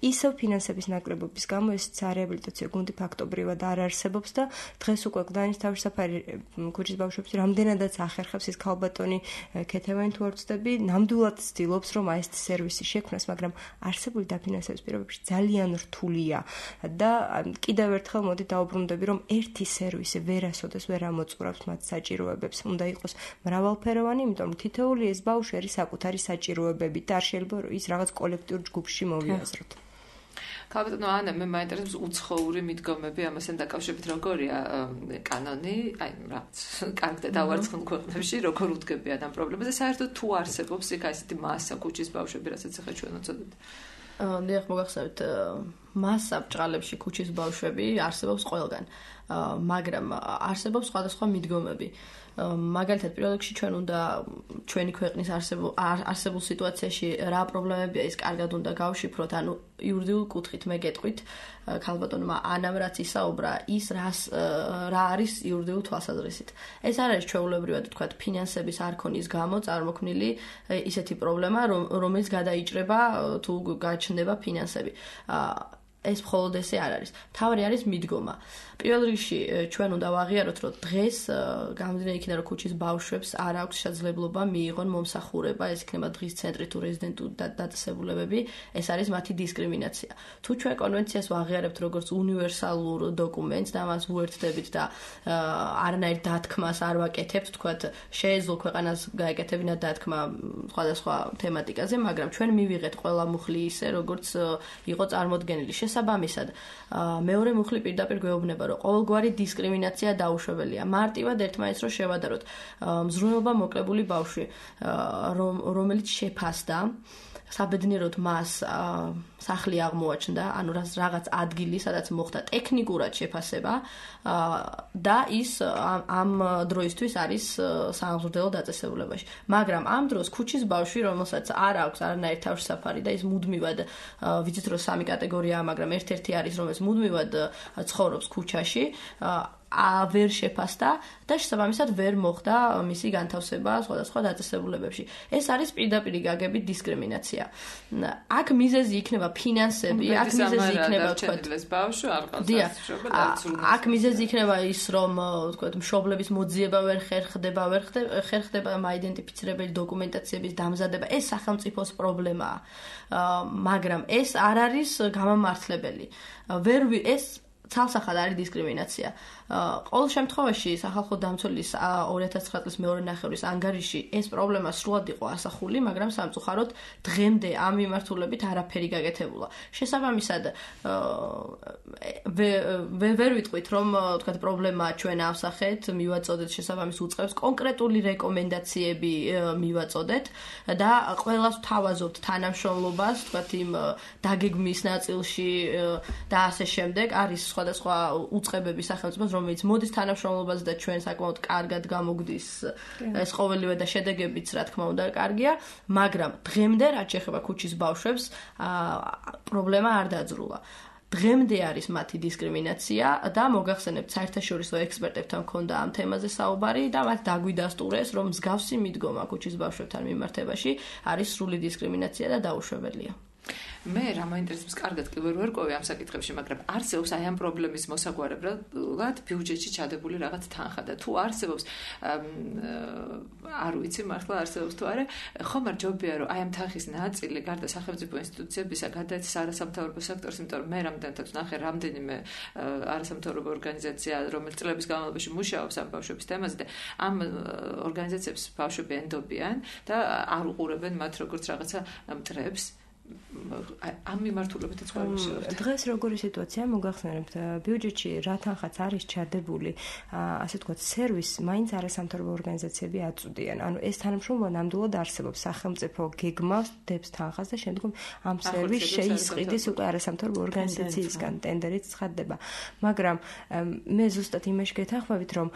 ისევ ფინანსების ნაკლებობის გამო ეს სარეაბილიტაციო გუნდი ფაქტობრივად არ არსებობს და დღეს უკვე გლდანის თავშესაფარი ქუჩის ბავშვებს რამდენადაც ახერხებს ის ქალბატონი ქეთევანი თუ არ ვწდები, ნამდვილად ცდილობს, რომ აი ეს სერვისი შექმნას, მაგრამ არსებული დაფინანსების პირობებში ძალიან რთულია და კიდევ ერთხელ მოდი დაუბრუნდები, რომ ერთი სერვისი ვერასოდეს ვერ ამოწურავს მათ საჭიროებებს. უნდა იყოს მრავალფეროვანი, იმიტომ რომ თითოეული ეს ბავშვი არის საკუთარი საჭიროებებით და არ შეიძლება ის რაღაც კოლექტიურ ჯგუფში მოვიაზროთ. ქალბატონო ანა, მე მაინტერესებს უცხოური მიდგომები ამასთან დაკავშირებით როგორია კანონი, აი რაღაც კარგ და დავარცხნილ ქვეყნებში როგორ უდგებიან ამ პრობლემაზე, საერთოდ თუ არსებობს იქ ასეთი მასა ქუჩის ბავშვები, რასაც ახლა ჩვენ ვუწოდეთ. დიახ, მოგახსენებთ, მასა ბჭყალებში ქუჩის ბავშვები არსებობს ყველგან, მაგრამ არსებობს სხვადასხვა მიდგომები. მაგალითად, პირველ რიგში ჩვენ უნდა ჩვენი ქვეყნის არსებულ არსებულ სიტუაციაში რა პრობლემებია ის კარგად უნდა გავშიფროთ, ანუ იურიდიულ კუთხით მე გეტყვით, ქალბატონმა ანამ რაც ისაუბრა, ის რას რა არის იურიდიულ თვალსაზრისით. ეს არ არის ჩვეულებრივად თქვა ფინანსების არქონის გამო წარმოქმნილი ისეთი პრობლემა, რომელიც გადაიჭრება თუ გაჩნდება ფინანსები. ეს მხოლოდ ესე არ არის. თავი არის მიდგომა. პირველ რიგში ჩვენ უნდა ვაღიაროთ, რომ დღეს გამომდინარე იქიდან, რომ ქუჩის ბავშვებს არ აქვს შესაძლებლობა მიიღონ მომსახურება, ეს იქნება დღის ცენტრი თუ რეზიდენტური დაწესებულებები, ეს არის მათი დისკრიმინაცია. თუ ჩვენ კონვენციას ვაღიარებთ როგორც უნივერსალურ დოკუმენტს და მას ვუერთდებით და არანაირ დათქმას არ ვაკეთებთ, თქვათ, შეეძლო ქვეყანას გაეკეთებინა დათქმა სხვადასხვა თემატიკაზე, მაგრამ ჩვენ მივიღეთ ყველა მუხლი ისე, როგორც იყო წარმოდგენილი. შესაბამისად, მეორე მუხლი პირდაპირ გვეუბნება, რომ ყოველგვარი დისკრიმინაცია დაუშვებელია. მარტივად ერთმანეთს რო შევადაროთ, მზრუნველობა მოკლებული ბავშვი, რომელიც შეფასდა, საბედნიეროდ მას სახლი აღმოაჩნდა, ანუ რაღაც ადგილი, სადაც მოხდა ტექნიკურად შეფასება და ის ამ დროისთვის არის სამღვდელო დაწესებულებაში. მაგრამ ამ დროს ქუჩის ბავშვი, რომელსაც არ აქვს არანაირი თავშესაფარი და ის მუდმივად ვიცით რომ სამი კატეგორიაა, მაგრამ ერთ-ერთი არის, რომელიც მუდმივად ცხოვრობს ქუჩაში, ვერ შეფასდა და შესაბამისად ვერ მოხდა მისი განთავსება სხვადასხვა დაწესებულებებში. ეს არის პირდაპირ გაგებით დისკრიმინაცია. აქ მიზეზი იქნება ფინანსები, აქ მიზეზი იქნება თქვა ბავშვი არ ყავს. აქ მიზეზი იქნება ის, რომ თქვა მშობლების მოძიება ვერ ხერხდება, ვერ ხერხდება აიდენტიფიცირებელი დოკუმენტაციების დამზადება. ეს სახელმწიფოს პრობლემაა. მაგრამ ეს არ არის გამამართლებელი. ვერ ეს ცალსახად არის დისკრიმინაცია. ყოველ შემთხვევაში სახალხო დამცველის ორი ათას ცხრა წლის მეორე ნახევრის ანგარიში ეს პრობლემა სრულად იყო ასახული, მაგრამ სამწუხაროდ დღემდე ამ მიმართულებით არაფერი გაკეთებულა. შესაბამისად, ვერ ვიტყვით, რომ თქვათ პრობლემა ჩვენ ავსახეთ, მივაწოდეთ შესაბამის უწყებს, კონკრეტული რეკომენდაციები მივაწოდეთ და ყველას ვთავაზობთ თანამშრომლობას, თქვათ იმ დაგეგმის ნაწილში და ასე შემდეგ. არის სხვადასხვა უწყებები სახელმწიფოს, რომელიც მოდის თანამშრომლობაზე და ჩვენ საკმაოდ კარგად გამოგვდის ეს ყოველივე და შედეგებიც რა თქმა უნდა კარგია, მაგრამ დღემდე რაც შეეხება ქუჩის ბავშვებს, პრობლემა არ დაძრულა. დღემდე არის მათი დისკრიმინაცია და მოგახსენებთ საერთაშორისო ექსპერტებთან მქონდა ამ თემაზე საუბარი და მათ დაგვიდასტურეს, რომ მსგავსი მიდგომა ქუჩის ბავშვებთან მიმართებაში არის სრული დისკრიმინაცია და დაუშვებელია. მე რა მაინტერესებს, კარგად კი ვერ ვერკვევი ამ საკითხებში, მაგრამ არსებობს აი ამ პრობლემის მოსაგვარებლად ბიუჯეტში ჩადებული რაღაც თანხა და თუ არსებობს არ ვიცი მართლა არსებობს თუ არა, ხომ არ ჯობია რომ აი ამ თანხის ნაწილი გარდა სახელმწიფო ინსტიტუციებისა გადაეცეს არასამთავრობო სექტორს, იმიტომ რომ მე რამდენადაც ნახე რამდენიმე არასამთავრობო ორგანიზაცია, რომელიც წლების განმავლობაში მუშაობს ამ ბავშვების თემაზე და ამ ორგანიზაციებს ბავშვები ენდობიან და არ უყურებენ მათ როგორც რაღაცა მტრებს. ამ მიმართულებითაც გვაქვს. დღეს როგორი სიტუაცია მოგახსენებთ, ბიუჯეტში რა თანხაც არის ჩადებული, ასე ვთქვათ, სერვისს მაინც არასამთავრობო ორგანიზაციები აწვდიან. ანუ ეს თანამშრომლობა ნამდვილად არსებობს, სახელმწიფო გეგმავს დებს თანხას და შემდგომ ამ სერვისს შეისყიდის უკვე არასამთავრობო ორგანიზაციისგან ტენდერით ცხადდება. მაგრამ მე ზუსტად იმაში გეთანხმებით, რომ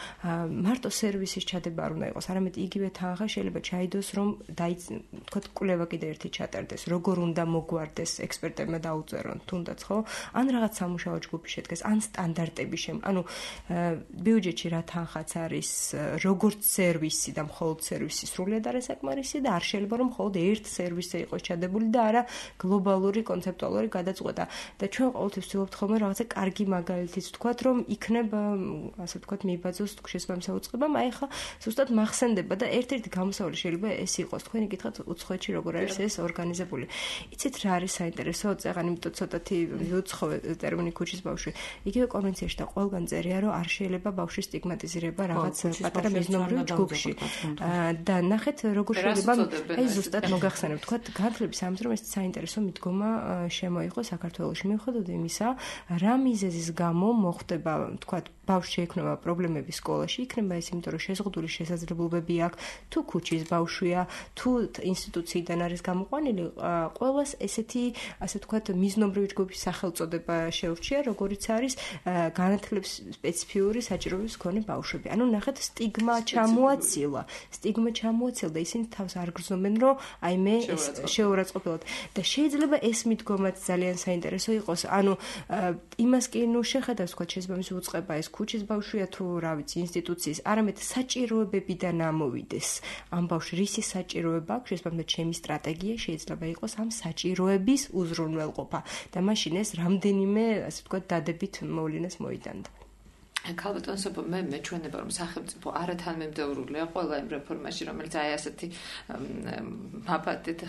მარტო სერვისის ჩადება არ უნდა იყოს, არამედ იგივე თანხა შეიძლება ჩაიდოს, რომ ვთქვათ, კვლევა კიდე ერთი ჩატარდეს, როგორ უნდა მოგვარდეს ექსპერტებმა დაუწერონ თუნდაც ხო ან რაღაც სამუშაო ჯგუფი შედგეს ან სტანდარტები შემ ანუ ბიუჯეტში რა თანხაც არის როგორც სერვისი და მხოლოდ სერვისი სრულად არის საკმარისი და არ შეიძლება რომ მხოლოდ ერთ სერვისზე იყოს ჩადებული და არა გლობალური კონცეპტუალური გადაწყვეტა და ჩვენ ყოველთვის ვცდილობთ ხოლმე რაღაცა კარგი მაგალითიც ვთქვათ რომ იქნება ასე ვთქვათ მიიბაძოს შესაბამის საუწყებამ აი ხა ზუსტად მახსენდება და ერთ-ერთი გამოსავალი შეიძლება ეს იყოს თქვენი კითხავთ უცხოეთში როგორ არის ეს ორგანიზებული იცით რა არის საინტერესო? წეგან იმიტომ ცოტათი ვიუცხოვე ტერმინი ქუჩის ბავშვი. იგივე კონვენციაში და ყველგან წერია, რომ არ შეიძლება ბავშვის სტიგმატიზირება რაღაც პატარა მიზნობრივ ჯგუფში. და ნახეთ როგორ შეიძლება აი ზუსტად მოგახსენებ, თქვა განათლების სამს რომ ეს საინტერესო მიდგომა შემოიღო საქართველოში. მიუხედავად იმისა, რა მიზეზის გამო მოხდება, თქვა ბავშვი შეექმნება პრობლემები სკოლაში, იქნება ეს იმიტომ რომ შეზღუდული შესაძლებლობები აქვს, თუ ქუჩის ბავშვია, თუ ინსტიტუციიდან არის გამოყვანილი, ყველას ესეთი, ასე ვთქვათ, მიზნობრივი ჯგუფის სახელწოდება შეურჩია, როგორიც არის განათლების სპეციფიური საჭიროების მქონე ბავშვები. ანუ ნახეთ, სტიგმა ჩამოაცილა, სტიგმა ჩამოაცილა და ისინი თავს არ გრძნობენ, რომ აი მე შეურაცხყოფილად და შეიძლება ეს მიდგომაც ძალიან საინტერესო იყოს. ანუ იმას კი ნუ შეხედავს, თქვა შესაბამის უწყება ეს ქუჩის ბავშვია თუ რა ვიცი ინსტიტუციის, არამედ საჭიროებებიდან ამოვიდეს. ამ ბავშვი რისი საჭიროება აქვს, შესაბამისად ჩემი სტრატეგია შეიძლება იყოს ამ საჭიროების უზრუნველყოფა და მაშინ ეს რამდენიმე, ასე ვთქვათ, დადებით მოვლენას მოიტანდა. ქალბატონ სოფო, მე მეჩვენება რომ სახელმწიფო არათანმიმდევრულია ყველა იმ რეფორმაში, რომელიც აი ასეთი მაფათით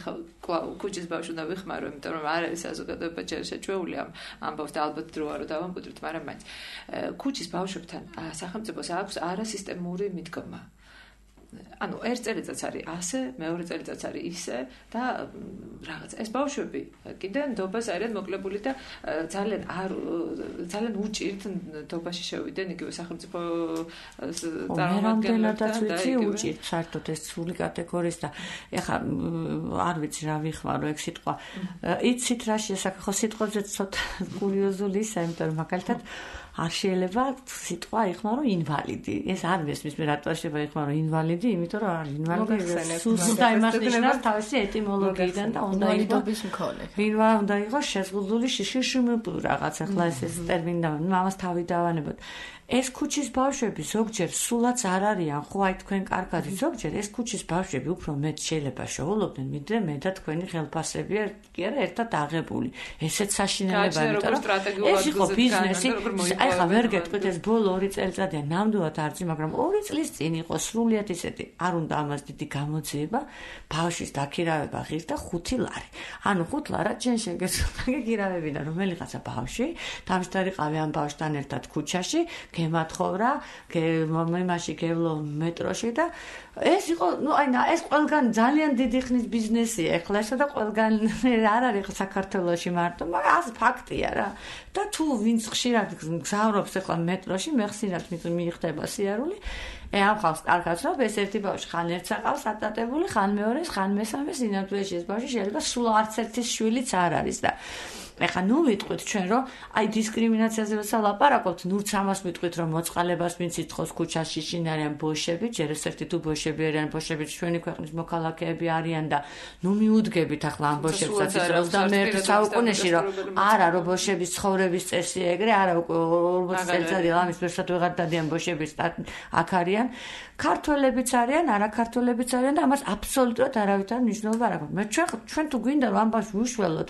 ქუჩის ბავშვს უნდა ვიხმარო, იმიტომ რომ არ არის საზოგადოება ჯერ შეჩვეული ამ ამბავს და ალბათ დროა რომ დავამკვიდროთ, მაგრამ მაინც ქუჩის ბავშვებთან სახელმწიფოს აქვს არასისტემური მიდგომა. ანუ ერთ წელიწადს არის ასე, მეორე წელიწადს არის ისე და რაღაც ეს ბავშვები კიდე ნდობას არიან მოკლებული და ძალიან არ ძალიან უჭირთ ნდობაში შევიდნენ იგივე სახელმწიფო წარმომადგენლებთან და უჭირთ საერთოდ ეს სული კატეგორიის და ეხლა არ ვიცი რა ვიხმარო ეგ სიტყვა. იცით რა შესაძლოა ხო სიტყვებზე ცოტა კურიოზული ისაა, იმიტომ რომ მაგალითად არ შეიძლება სიტყვა იხმარო ინვალიდი. ეს არ მესმის მე რატო შეიძლება იხმარო ინვალიდი, იმიტომ რომ არის ინვალიდი სუსტა იმას ნიშნავს თავისი ეტიმოლოგიიდან და უნდა იყოს მქონე. ვინვა უნდა იყოს შეზღუდული შიშიშმპ რაღაც ახლა ეს ეს ტერმინი და მამას თავი დავანებოთ. ეს ქუჩის ბავშვები ზოგჯერ სულაც არ არიან, ხო აი თქვენ კარგად ზოგჯერ ეს ქუჩის ბავშვები უფრო მეტ შეიძლება შეულობდნენ, ვიდრე მე და თქვენი ხელფასები კი არა ერთად აღებული. ესეც საშინელება, იმიტომ რომ ეს იყო ბიზნესი. აი ხა ვერ გეტყვით ეს ბოლო ორი წელიწადია ნამდვილად არც, მაგრამ ორი წლის წინ იყო სრულიად ისეთი, არ უნდა ამას დიდი გამოძიება, ბავშვის დაქირავება ღირს და ხუთი ლარი. ანუ ხუთ ლარად შენ შეგეცვალა გიგირავებინა რომელიღაცა ბავშვი, დამშტარიყავი ამ ბავშვთან ერთად ქუჩაში გემათხოვრა, იმაში გევლო მეტროში და ეს იყო, ნუ აი ეს ყველგან ძალიან დიდი ხნის ბიზნესია ეხლა ესა და ყველგან არ არის საქართველოში მარტო, მაგრამ ეს ფაქტია რა. და თუ ვინც ხშირად გზავრობს ეხლა მეტროში, მე ხშირად მიიხდება სიარული, ე ამ ხალხს კარგად რომ ეს ერთი ბავშვი ხან ერთს აყავს ატატებული, ხან მეორეს, ხან მესამეს, ინამდვილეში ეს ბავშვი შეიძლება სულ არც ერთის შვილიც არ არის და ეხლა ნუ ვიტყვით ჩვენ რომ აი დისკრიმინაციაზე ვსალაპარაკობთ, ნურც ამას ვიტყვით რომ მოწყალებას ვინც ითხოვს ქუჩაში შინ არიან ბოშები, ჯერ ეს ერთი თუ ბოშები არიან, ბოშები ჩვენი ქვეყნის მოქალაქეები არიან და ნუ მიუდგებით ახლა ამ ბოშებსაც ის ოცდამეერთე საუკუნეში რომ არა რომ ბოშების ცხოვრების წესია ეგრე, არა უკვე ორმოცი წელიწადი ამის ვერსად ვეღარ დადიან ბოშების აქ არიან, ქართველებიც არიან, არაქართველებიც არიან და ამას აბსოლუტურად არავითარ მნიშვნელობა არ აქვს. მე ჩვენ ჩვენ თუ გვინდა რომ ამ ბავშვს ვუშველოთ,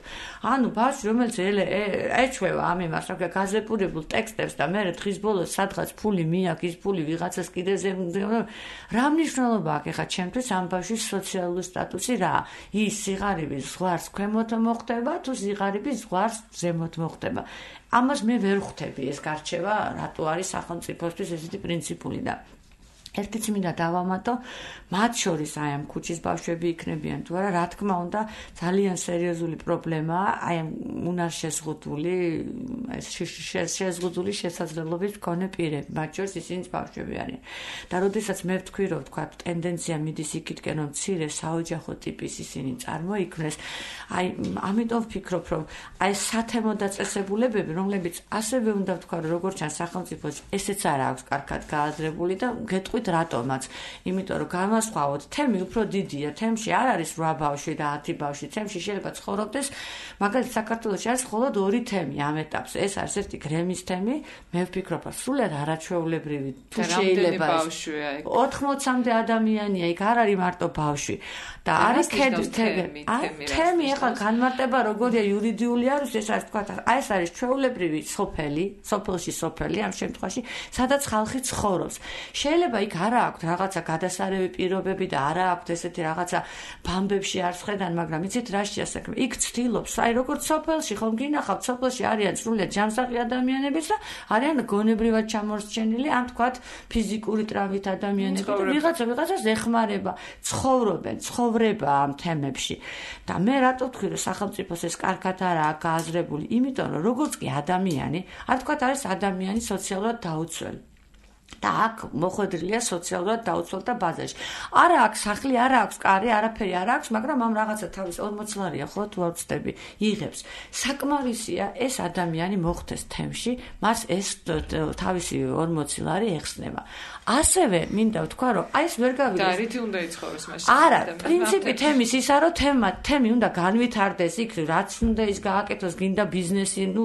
ანუ ბავშვი რომელიც ეჩვევა ამ იმას, რა გაზეპურებულ ტექსტებს და მე დღის ბოლოს სადღაც ფული მიაქვს, ის ფული ვიღაცას კიდე რა მნიშვნელობა აქვს ახლა ჩემთვის ამ ბავშვის სოციალური სტატუსი რა? ის სიღარიბის ზღვარს ქვემოთ მოხდება თუ სიღარიბის ზღვარს ზემოთ მოხდება? ამას მე ვერ ხვდები ეს გარჩევა, რატო არის სახელმწიფოსთვის ესეთი პრინციპული და ერთიც მინდა დავამატო, მათ შორის აი ამ ქუჩის ბავშვები იქნებიან თუ არა, რა თქმა უნდა, ძალიან სერიოზული პრობლემაა აი ამ უნარშეზღუდული, ეს შეზღუდული შესაძლებლობის მქონე პირები, მათ შორის ისინიც ბავშვები არიან. და როდესაც მე ვთქვი, რომ თქვა ტენდენცია მიდის იქითკენ, რომ მცირე საოჯახო ტიპის ისინი წარმოიქმნეს, აი ამიტომ ვფიქრობ, რომ აი სათემო დაწესებულებები, რომლებიც ასევე უნდა ვთქვა, რომ როგორც ჩანს სახელმწიფოს ესეც არ აქვს კარგად გააზრებული და გეტყვით რატომაც, იმიტომ რომ განვასხვაოთ, თემი უფრო დიდია, თემში არ არის რვა ბავშვი და ათი ბავშვი, თემში შეიძლება ცხოვრობდეს, მაგალითად საქართველოში არის მხოლოდ ორი თემი ამ ეტაპზე, ეს არის ერთი გრემის თემი, მე ვფიქრობ, რომ სულად არაჩვეულებრივი თუ შეიძლება ოთხმოცამდე ადამიანია, იქ არ არის მარტო ბავშვი და არის თემი, თემი ახლა განმარტება როგორია იურიდიული არის, ეს არის თქვა, აი ეს არის ჩვეულებრივი სოფელი, სოფელში სოფელი ამ შემთხვევაში, სადაც ხალხი ცხოვრობს. შეიძლება იქ არა აქვთ რაღაცა გადასარევი პირობები და არა აქვთ ესეთი რაღაცა ბამბებში არ ხედან, მაგრამ იცით რა შეასაქმე? იქ ცდილობს, აი როგორც სოფელში ხომ გინახავთ, სოფელში არიან სრულიად ჯანსაღი ადამიანებიც და არიან გონებრივად ჩამორჩენილი, ამ თქვათ ფიზიკური ტრავმით ადამიანები და ვიღაცა ვიღაცას ეხმარება, ცხოვრობენ, ცხოვრება ამ თემებში. და მე რატო ვთქვი, რომ სახელმწიფოს ეს კარგად არაა გააზრებული, იმიტომ რომ როგორც კი ადამიანი, არ თქვათ არის ადამიანი სოციალურად დაუცველი. და აქ მოხვედრილია სოციალურად დაუცველთა ბაზაში. არა აქვს სახლი, არა აქვს კარი, არაფერი არ აქვს, მაგრამ ამ რაღაცა თავის ორმოც ლარია ხო თუ არ ვწდები, იღებს. საკმარისია ეს ადამიანი მოხვდეს თემში, მას ეს თავისი ორმოცი ლარი ეხსნება. ასევე მინდა ვთქვა, რომ აი ეს ვერ გავიგე. და რითი უნდა იცხოვროს მაშინ? არა, პრინციპი თემის ისა, რომ თემა, თემი უნდა განვითარდეს, იქ რაც უნდა ის გააკეთოს, გინდა ბიზნესი, ნუ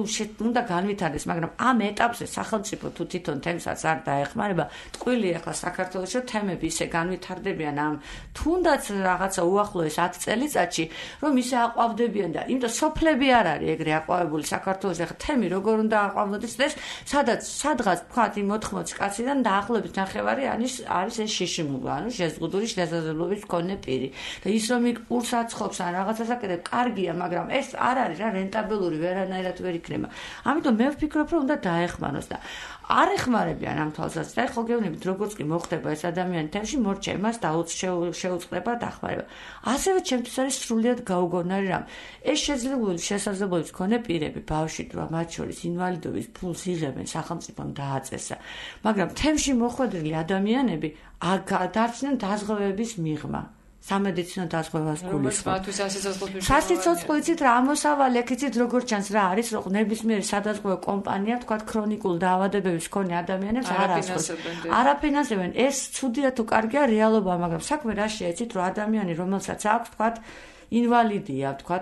უნდა განვითარდეს, მაგრამ ამ ეტაპზე სახელმწიფო თუ თვითონ თემსაც არ დაეხმარება, ტყვილი ახლა საქართველოში თემები ისე განვითარდებიან ამ თუნდაც რაღაცა უახლოეს ათი წელიწადში, რომ ისე აყვავდებიან და იმიტომ სოფლები არ არის ეგრე აყვავებული საქართველოში, ახლა თემი როგორ უნდა აყვავნოდეს ეს, სადაც სადღაც თქვათ იმ ოთხმოცი კაციდან დაახლოებით ნახევარი არის არის ეს შიშიმული, ანუ შეზღუდული შესაძლებლობის მქონე პირი. და ის რომ იქ პურს აცხობს ან რაღაცას აკეთებს, კარგია, მაგრამ ეს არ არის რა რენტაბელური, ვერანაირად ვერ იქნება. ამიტომ მე ვფიქრობ, რომ უნდა დაეხმაროს და არ ეხმარებიან ამ თვალსაზრისით. ხო გეუბნებით, როგორც კი მოხდება ეს ადამიანი თემში, მორჩა იმას შეუწყდება დახმარება. ასევე ჩემთვის არის სრულიად გაუგონარი რამ. ეს შეძლებული შესაძლებლობის მქონე პირები, ბავშვი თუ მათ შორის ინვალიდობის ფულს იღებენ, სახელმწიფომ დააწესა. მაგრამ თემში მოხვედრილი ადამიანები დარჩნენ დაზღვევების მიღმა. სამედიცინო დაზღვევას გულისხმობ. სასიცოცხლო იცით რა ამოსავალი აქ იცით როგორ ჩანს რა არის რომ ნებისმიერი სადაზღვევო კომპანია თქვა ქრონიკულ დაავადებების მქონე ადამიანებს არ ასხობს. არაფინანსებენ. ეს ცუდია თუ კარგია რეალობაა, მაგრამ საქმე რა შეეცით რომ ადამიანი რომელსაც აქვს თქვა ინვალიდია, თქვა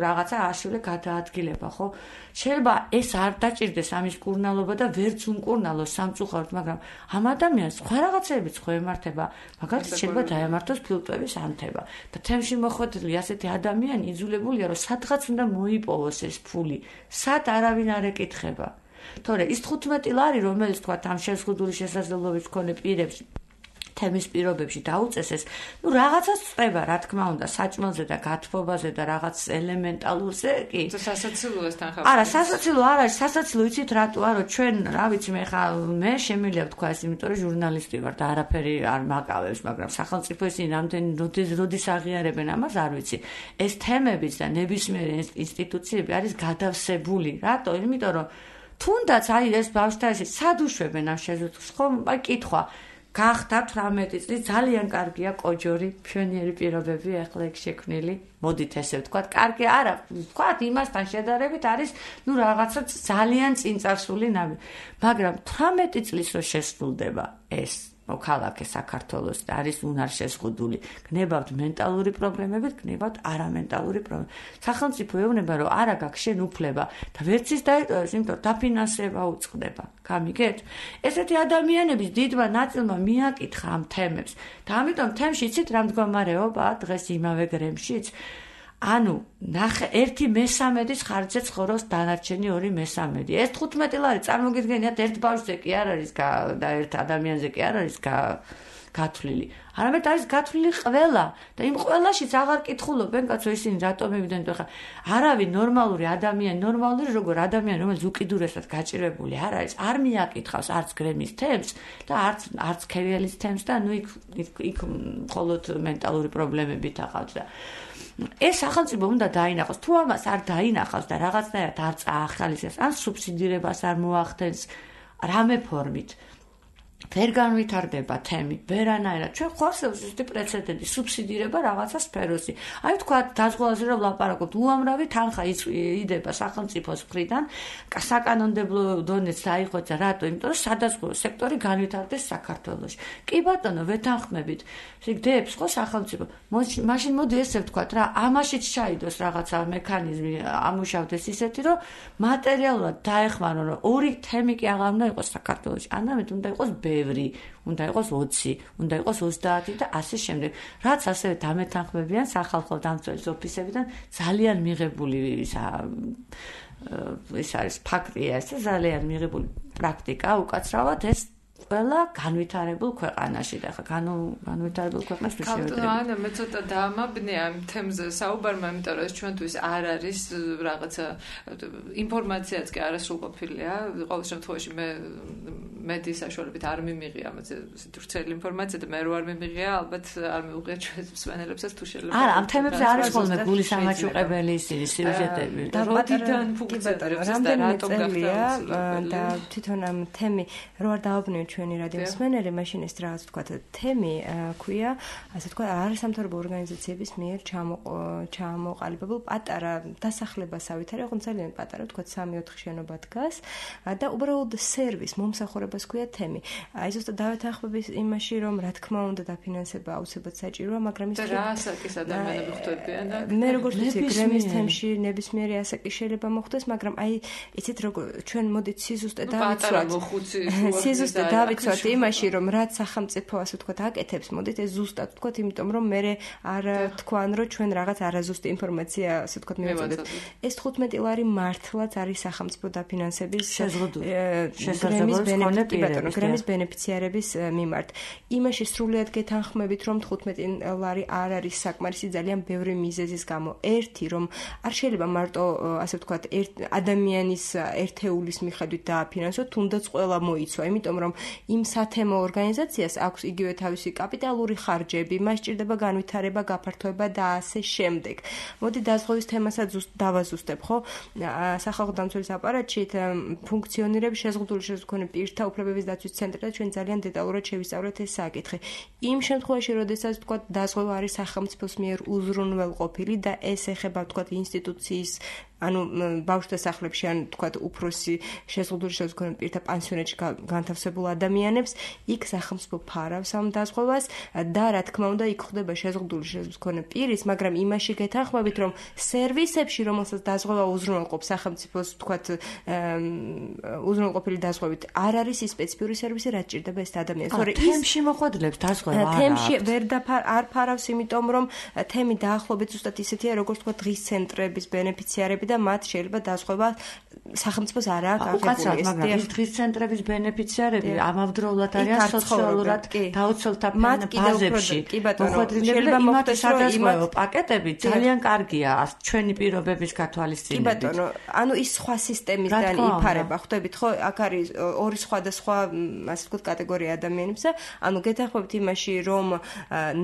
რაღაცა აშულე გადაადგილება, ხო? შეიძლება ეს არ დაჭირდეს ამის კურნალობა და ვერც უმკურნალოს სამწუხაროდ, მაგრამ ამ ადამიანს სხვა რაღაცებიც ხო ემართება, მაგალითად შეიძლება დაემართოს ფილტვების ანთება. და თემში მოხვედრილი ასეთი ადამიანი იძულებულია, რომ სადღაც უნდა მოიპოვოს ეს ფული, სად არავინ არ ეკითხება. თორე ის თხუთმეტი ლარი, რომელიც თქვა ამ შეზღუდული შესაძლებლობის მქონე პირებს თემის პირობებში დაუწესეს, ну რაღაცას წება, რა თქმა უნდა, საჭმელზე და გათბობაზე და რაღაც ელემენტალურზე კი. სასაცილოასთან ხარ. არა, სასაცილო არ არის, სასაცილო იცით რატოა, რომ ჩვენ, რა ვიცი, მე ხა მე შემიძლია ვთქვა ეს, იმიტომ რომ ჟურნალისტი ვარ და არაფერი არ მაკავებს, მაგრამ სახელმწიფო ისინი რამდენი როდის როდის აღიარებენ ამას, არ ვიცი. ეს თემებიც და ნებისმიერი ინსტიტუციები არის გადავსებული. რატო? იმიტომ რომ თუნდაც აი ეს ბავშვთა ესე სად უშვებენ ამ შეზღუდულს, ხო? აი კითხვა გახდა თვრამეტი წლის ძალიან კარგია კოჯორი, მშვენიერი პირობები ახლა ეგ შექმნილი. მოდით ესე ვთქვათ, კარგი არა, ვთქვათ იმასთან შედარებით არის, ну რაღაცა ძალიან წინწარსული ნაბი. მაგრამ თვრამეტი წლის რო შესრულდება ეს მოქალაქე საქართველოს და არის უნარ შეზღუდული. გნებავთ მენტალური პრობლემებით, გნებავთ არამენტალური პრობლემები. სახელმწიფო ეუბნება, რომ არა გაქვს შენ უფლება და ვერც ის დაიტოვებს, იმიტომ დაფინანსება უწყდება. გამიგეთ? ესეთი ადამიანების დიდმა ნაწილმა მიაკითხა ამ თემებს და ამიტომ თემში იცით რა მდგომარეობაა დღეს იმავე გრემშიც? ანუ ნახე ერთი მესამედის ხარჯზე ცხოვრობს დანარჩენი ორი მესამედი. ეს თხუთმეტი ლარი წარმოგიდგენიათ ერთ ბავშვზე კი არ არის და ერთ ადამიანზე კი არ არის გათვლილი. არამედ არის გათვლილი ყველა და იმ ყველაშიც აღარ კითხულობენ კაცო ისინი რატომ მივიდნენ ხა არავინ ნორმალური ადამიანი, ნორმალური როგორ ადამიანი, რომელიც უკიდურესად გაჭირვებული არ არის, არ მიაკითხავს არც გრემის თემს და არც არც ქერიალის თემს და ნუ იქ იქ მხოლოდ მენტალური პრობლემებით ახავთ და ეს სახელმწიფო უნდა დაინახოს. თუ ამას არ დაინახავს და რაღაცნაირად არ წაახალისებს, ან სუბსიდირებას არ მოახდენს რამე ფორმით, ვერ განვითარდება თემი, ვერანაირად. ჩვენ ხორცელს ზუსტი პრეცედენტი, სუბსიდირება რაღაცა სფეროსი. აი თქვა დაზღვევაზე რომ ლაპარაკობთ, უამრავი თანხა იდება სახელმწიფოს მხრიდან, საკანონმდებლო დონეც დაიხვეწა, რატო? იმიტომ რომ სადაზღვევო სექტორი განვითარდეს საქართველოში. კი ბატონო, ვეთანხმებით. გდებს ხო სახელმწიფო. მაშინ მოდი ესე ვთქვათ რა, ამაშიც ჩაიდოს რაღაცა მექანიზმი, ამუშავდეს ისეთი, რომ მატერიალურად დაეხმარონ, რომ ორი თემი კი აღარ უნდა იყოს საქართველოში. ანამედ უნდა იყოს ბევრი, უნდა იყოს ოცი, უნდა იყოს ოცდაათი და ასე შემდეგ. რაც ასევე დამეთანხმებიან სახალხო დამცველის ოფისებიდან ძალიან მიღებული ისა ეს არის ფაქტია, ეს ძალიან მიღებული პრაქტიკა უკაცრავად ეს ყველა განვითარებულ ქვეყანაში და ხა განვითარებულ ქვეყნას თუ შევედრებით. ანა მე ცოტა დაამაბნე ამ თემზე საუბარმა, იმიტომ რომ ჩვენთვის არ არის რაღაცა ინფორმაციაც კი არასრულყოფილია. ყოველ შემთხვევაში მე მედიის საშუალებით არ მიმიღია ამაზე ვრცელი ინფორმაცია და მე რო არ მიმიღია, ალბათ არ მიუღია ჩვენს მსმენელებსაც თუ შეიძლება. არა, ამ თემებზე არის ხოლმე გულის ამაჩუყებელი ისინი სიუჟეტები. და როდიდან ფუნქციონირებს და რატომ გახდა და თვითონ ამ თემი რო არ დააბრუნებთ ჩვენი რადიო მსმენელი, მაშინ ეს რაღაც თქვა თემი ქვია, ასე თქვა არასამთავრობო ორგანიზაციების მიერ ჩამოყალიბებულ პატარა დასახლებასავით არის, ოღონდ ძალიან პატარა, თქვა სამი ოთხი შენობა დგას და უბრალოდ სერვის მომსახურებას ქვია თემი. აი ზუსტად დავეთანხმების იმაში, რომ რა თქმა უნდა დაფინანსება აუცილებლად საჭიროა, მაგრამ ის რა ასაკის ადამიანები ხვდებიან და მე როგორც ვიცი, გრემის თემში ნებისმიერი ასაკი შეიძლება მოხდეს, მაგრამ აი იცით როგორ ჩვენ მოდით სიზუსტე დავიცვათ. სიზუსტე დავიცვათ იმაში, რომ რაც სახელმწიფო ასე ვთქვათ აკეთებს, მოდით ეს ზუსტად ვთქვათ, იმიტომ რომ მე არ თქვან, რომ ჩვენ რაღაც არაზუსტი ინფორმაცია ასე ვთქვათ მივაწოდეთ. ეს თხუთმეტი ლარი მართლაც არის სახელმწიფო დაფინანსების გრემის ბენეფიციარების გრემის ბენეფიციარების მიმართ. იმაში სრულიად გეთანხმებით, რომ თხუთმეტი ლარი არ არის საკმარისი ძალიან ბევრი მიზეზის გამო. ერთი, რომ არ შეიძლება მარტო ასე ვთქვათ ადამიანის ერთეულის მიხედვით დააფინანსოთ, თუნდაც ყველა მოიცვა, იმიტომ რომ იმ სათემო ორგანიზაციას აქვს იგივე თავისი კაპიტალური ხარჯები, მას სჭირდება განვითარება, გაფართოება და ასე შემდეგ. მოდი დაზღვევის თემასაც დავაზუსტებ, ხო? სახალხო დამცველის აპარატში ფუნქციონირებს შეზღუდული შესაძლებელი პირთა უფლებების დაცვის ცენტრი და ჩვენ ძალიან დეტალურად შევისწავლეთ ეს საკითხი. იმ შემთხვევაში, როდესაც თქვა დაზღვევა არის სახელმწიფოს მიერ უზრუნველყოფილი და ეს ეხება თქვა ინსტიტუციის ანუ ბავშვთა სახლებში ან თქვათ უფროსი შეზღუდული შესაძლებელი პირთა პანსიონატში განთავსებულ ადამიანებს იქ სახელმწიფო ფარავს ამ დაზღვევას და რა თქმა უნდა იქ ხდება შეზღუდული შესაძლებელი პირის, მაგრამ იმაში გეთანხმებით, რომ სერვისებში, რომელსაც დაზღვევა უზრუნველყოფს სახელმწიფოს თქვათ უზრუნველყოფილი დაზღვევით, არ არის ის სპეციფიური სერვისი, რაც ჭირდება ეს ადამიანს. თორე თემში მოხვედრებს დაზღვევა არა. თემში ვერ არ ფარავს, იმიტომ რომ თემი დაახლოებით ზუსტად ისეთია, როგორც თქვათ დღის ცენტრების ბენეფიციარები და მათ შეიძლება დაზღვევა სახელმწიფოს არ აქვს აღებული. მაგრამ ის დღის ცენტრების ბენეფიციარები ამავდროულად არიან სოციალურად დაუცველთა ბაზებში. მოხვედრილები იმათი სადაზღვევო პაკეტები ძალიან კარგია ჩვენი პირობების გათვალისწინებით. კი ბატონო, ანუ ის სხვა სისტემისგან იფარება, ხვდებით ხო? აქ არის ორი სხვადასხვა ასე ვთქვათ კატეგორია ადამიანებსა, ანუ გეთანხმებით იმაში, რომ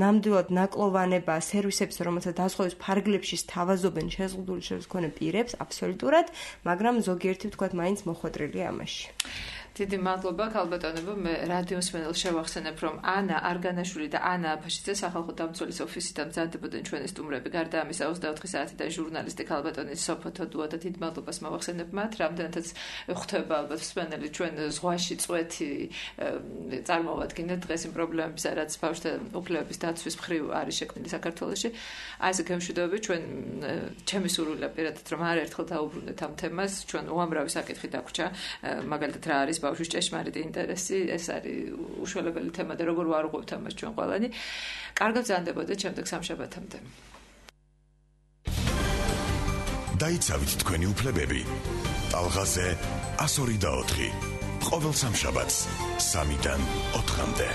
ნამდვილად ნაკლოვანება სერვისებს, რომელსაც დაზღვევის ფარგლებში სთავაზობენ შეზღუდული შესაძლებელი პირებს, აბსოლუტურად, მაგრამ ზოგიერთი ვთქვათ მაინც მოხვედრილია ამაში. დიდი მადლობა ქალბატონებო, მე რადიო მსმენელს შევახსენებ, რომ ანა არგანაშვილი და ანა აფაშიძე სახალხო დამცველის ოფისიდან მზადდებოდნენ ჩვენი სტუმრები. გარდა ამისა ოცდაოთხი საათიდან ჟურნალისტი ქალბატონი სოფო თოდუა და დიდ მადლობას მოვახსენებ მათ, რამდენადაც ხვდება ალბათ მსმენელი ჩვენ ზღვაში წვეთი წარმოვადგინეთ დღეს იმ პრობლემებს, რაც ბავშვთა უფლებების დაცვის მხრივ არის შექმნილი საქართველოში. აი ესე გემშვიდობები, ჩვენ ჩემი სურვილია პირადად, რომ არაერთხელ დაუბრუნდეთ ამ თემას, ჩვენ უამრავი საკითხი დაგვჭა, მაგალითად რა არის ბავშვის ჭეშმარიტი ინტერესი, ეს არის უშველებელი თემა და როგორ ვარღვევთ ამას ჩვენ ყველანი. კარგად გრძანდებოდეთ შემდეგ სამშაბათამდე. დაიცავით თქვენი უფლებები. ტალღაზე ასორი და ოთხი. ყოველ სამშაბათს სამიდან ოთხამდე.